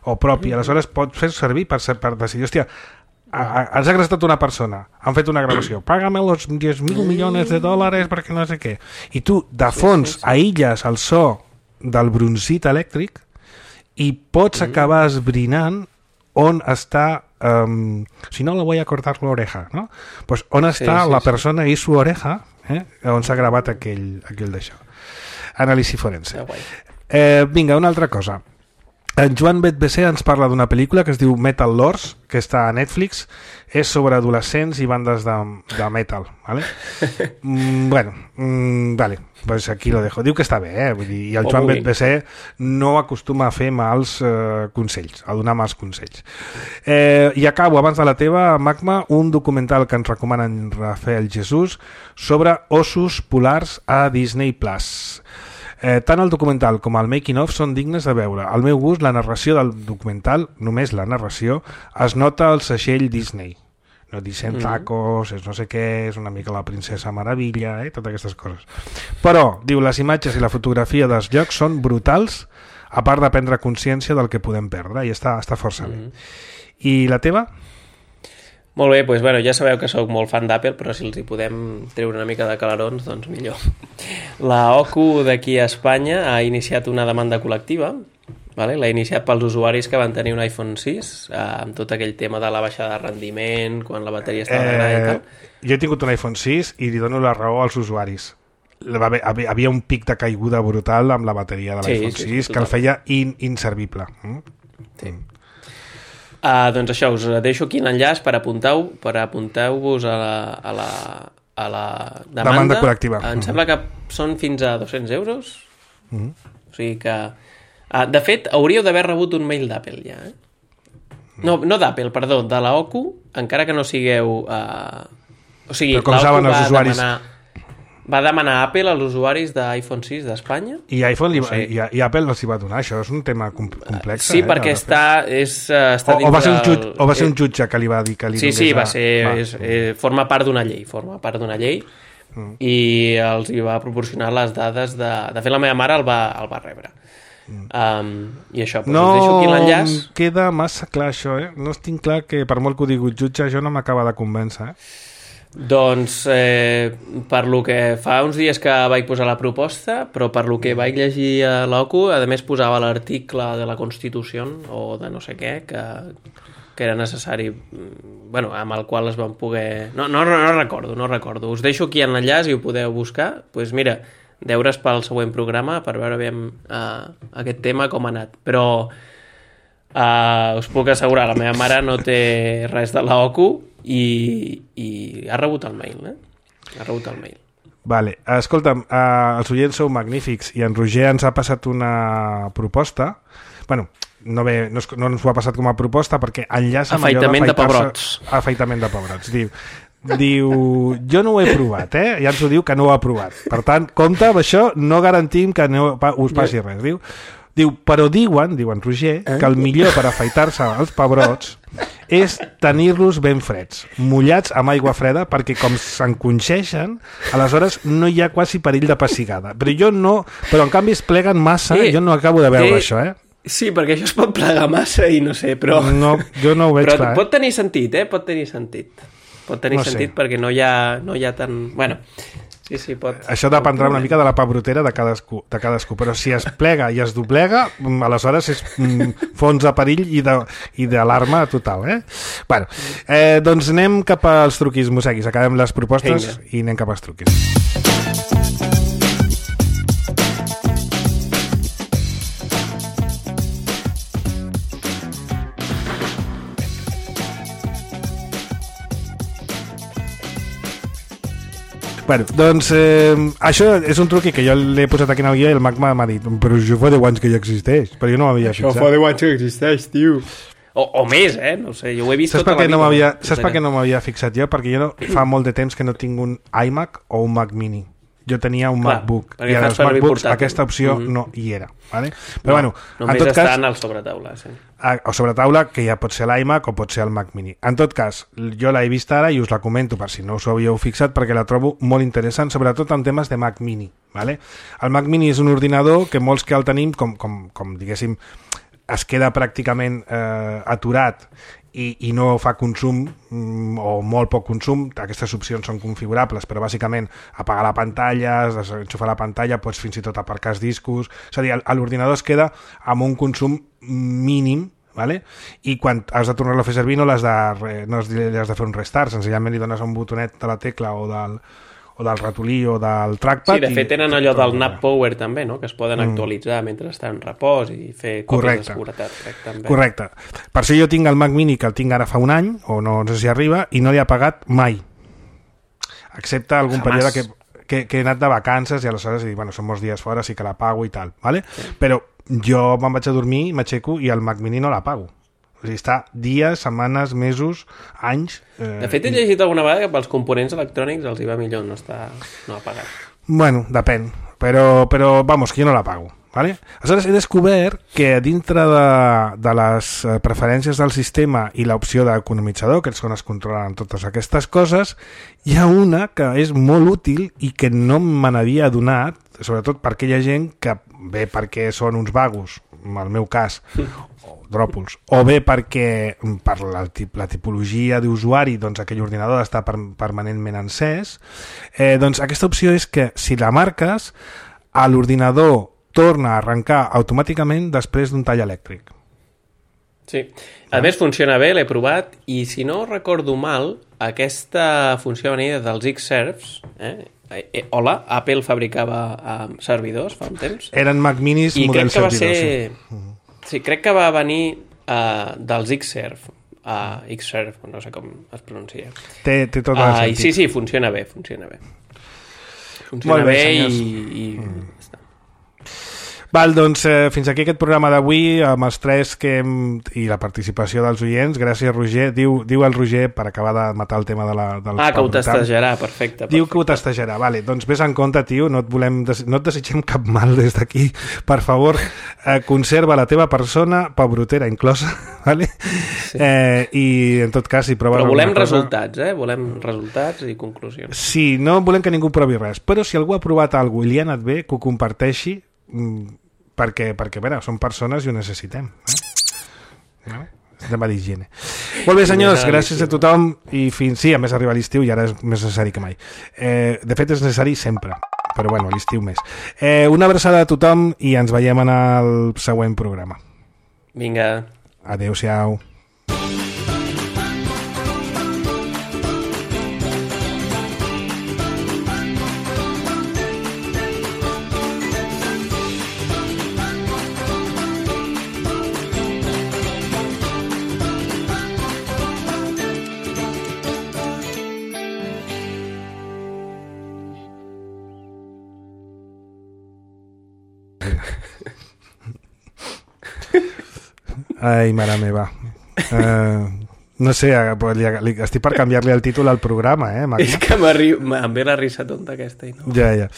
o propi. Aleshores pot fer servir per decidir, hòstia, ens ha agrestat una persona, han fet una gravació, págame los 10.000 millones de dòlares perquè no sé què, i tu de fons aïlles el so del brunzit elèctric i pots acabar esbrinant on està, si no le voy a cortar la oreja, ¿no? Pues on està la persona i su oreja, on s'ha gravat aquell d'això. Anàlisi forense. Vinga, una altra cosa. En Joan BetBC ens parla d'una pel·lícula que es diu Metal Lords, que està a Netflix. És sobre adolescents i bandes de metal, ¿vale? Vale, pues aquí lo dejo. Diu que està bé, vull dir, i el Joan BetBC no acostuma a fer mals consells, a donar mals consells. I acabo, abans de la teva, Magma, un documental que ens recomana en Rafael Jesús sobre ossos polars a Disney Plus. Tant el documental com el making of són dignes de veure. Al meu gust, la narració del documental, només la narració, es nota el segell Disney. No dicen tacos, és no sé què, és una mica la princesa Maravilla, totes aquestes coses. Però, diu, les imatges i la fotografia dels llocs són brutals, a part de prendre consciència del que podem perdre, i està força bé. I la teva? Molt bé, doncs, ja sabeu que sóc molt fan d'Apple, però si els hi podem treure una mica de calarons, doncs millor. La OCU d'aquí a Espanya ha iniciat una demanda col·lectiva, l'ha iniciat pels usuaris que van tenir un iPhone 6, amb tot aquell tema de la baixada de rendiment, quan la bateria estava degradada i tal. Jo he tingut un iPhone 6 i li dono la raó als usuaris. Havia un pic de caiguda brutal amb la bateria de l'iPhone 6 que el feia inservible. Sí. Doncs això, us deixo aquí l'enllaç per apuntar-vos a la demanda col·lectiva. Em sembla que són fins a 200 euros. O sigui que... de fet, hauríeu d'haver rebut un mail d'Apple ja. No d'Apple, perdó, de la OCU, encara que no sigueu... O sigui, però com saben els usuaris... Va demanar a Apple als usuaris d'iPhone 6 d'Espanya. I Apple els hi va donar, això és un tema complex. Sí, perquè està o va ser un jutge que li va dir que li donés... Sí, va ser... forma part d'una llei. I els hi va proporcionar les dades de... De fet, la meva mare el va rebre. I això, us deixo aquí l'enllaç. No queda massa clar això, No estic clar que, per molt que ho digui jutge, això no m'acaba de convèncer, Doncs per lo que fa uns dies que vaig posar la proposta, però per lo que vaig llegir a l'OCU, a més posava l'article de la Constitució o de no sé què, que era necessari, amb el qual es van poder... No recordo. Us deixo aquí en l'enllaç i ho podeu buscar. Doncs mira, deures pel següent programa per veure bé aquest tema com ha anat. Però us puc assegurar, la meva mare no té res de l'OCU i ha rebut el mail, Ha rebut el mail. Vale. Escolta'm, els oients sou magnífics i en Roger ens ha passat una proposta. Bueno, no ens ho ha passat com a proposta perquè enllaça amb allò Afeitament de pebrots. Afeitament de pebrots. Diu, jo no ho he provat, ja ens ho diu que no ho ha provat. Per tant, compte amb això, no garantim que no us passi res. Diu, però diuen Roger, que el millor per afaitar-se els pebrots és tenir-los ben freds, mullats amb aigua freda, perquè com s'enconxeixen, aleshores no hi ha quasi perill de pessigada. Però en canvi es pleguen massa, jo no acabo de veure això, Sí, perquè això es pot plegar massa i no sé, però... No, jo no ho veig però clar. Pot tenir sentit, pot tenir sentit. Pot tenir sentit perquè no hi ha tant... Bueno, sí, pot... Això dependrà una mica de la pebrotera de cadascú, però si es plega i es doblega, aleshores és fons de perill i d'alarma total, Bueno, doncs anem cap als truquis mosseguis, acabem les propostes i anem cap als truquis. Bueno, doncs això és un truqui que jo l'he posat aquí en el guió i el Mac m'ha dit, però això fa 10 anys que ja existeix, però jo no m'havia fixat. Això fa 10 anys que existeix, tio. O més, no sé, jo ho he vist tota la vida. Saps per què no m'havia fixat jo? Perquè fa molt de temps que no tinc un iMac o un Mac Mini. Jo tenia un MacBook i en els MacBooks aquesta opció no hi era, vale? Però bueno, només en tot cas, estan al sobretaula, sí. O sobretaula, que ja pot ser l'iMac o pot ser el Mac Mini. En tot cas, jo l'he vist ara i us la comento per si no us ho havíeu fixat, perquè la trobo molt interessant, sobretot en temes de Mac Mini, vale? El Mac Mini és un ordinador que molts que el tenim, com diguéssim, es queda pràcticament aturat i no fa consum o molt poc consum. Aquestes opcions són configurables, però bàsicament apagar la pantalla, desenxufar la pantalla, pots fins i tot aparcar els discos, és a dir, l'ordinador es queda amb un consum mínim, vale? I quan has de tornar-lo a fer servir no has de fer un restart, senzillament li dones un botonet de la tecla o del ratolí o del trackpad. Sí, de fet tenen allò del NAP Power també, no? Que es poden actualitzar mentre està en repòs i fer còpies de seguretat, crec, també. Correcte. Per això jo tinc el Mac Mini, que el tinc ara fa un any, o no sé si arriba, i no l'he apagat mai. Excepte algun període que he anat de vacances i aleshores he dit, bueno, són molts dies fora, sí que l'apago i tal, vale? Sí. Però jo me'n vaig a dormir, m'aixeco i el Mac Mini no l'apago. O sigui, està dies, setmanes, mesos, anys... De fet, he llegit alguna vegada que pels components electrònics els hi va millor no apagat. Bueno, depèn, però vamos, que jo no l'apago. Vale? Aleshores, he descobert que dintre de les preferències del sistema i l'opció d'economitzador, que és on es controlen totes aquestes coses, hi ha una que és molt útil i que no me n'havia adonat, sobretot per aquella gent que bé perquè són uns vagos, en el meu cas, dròpols, o bé perquè per la tipologia d'usuari doncs aquell ordinador està permanentment encès, doncs aquesta opció és que si la marques, l'ordinador torna a arrencar automàticament després d'un tall elèctric. Sí, a més funciona bé, l'he provat, i si no recordo mal, aquesta funció venia dels Xserves, hola, Apple fabricava servidors fa un temps. Eren Mac Minis model servidors. Sí, crec que va venir dels Xserve, Xserve, no sé com es pronuncia. Té tot el sentit. Sí, funciona bé. Funciona bé i està. Val, doncs fins aquí aquest programa d'avui amb els tres i la participació dels oients. Gràcies, Roger. Diu el Roger, per acabar de matar el tema del que ho testejarà, perfecte. Diu que ho testejarà, vale. Doncs vés en compte, tio, no et desitgem cap mal des d'aquí. Per favor, conserva la teva persona, pebrotera inclosa, vale? Sí. I en tot cas, si proves... Però volem resultats, volem resultats i conclusions. Sí, no volem que ningú provi res, però si algú ha provat alguna cosa i li ha anat bé, que ho comparteixi, perquè bueno, són persones i ho necessitem, no? És tema d'higiene. Molt bé, senyors, gràcies a tothom i fins... Sí, a més arriba l'estiu i ara és més necessari que mai. De fet, és necessari sempre, però bueno, l'estiu més. Una abraçada a tothom i ens veiem en el següent programa. Vinga. Adéu-siau. Ai, mare meva. No sé, estic per canviar-li el títol al programa, És que em ve la risa tonta aquesta. No? Ja.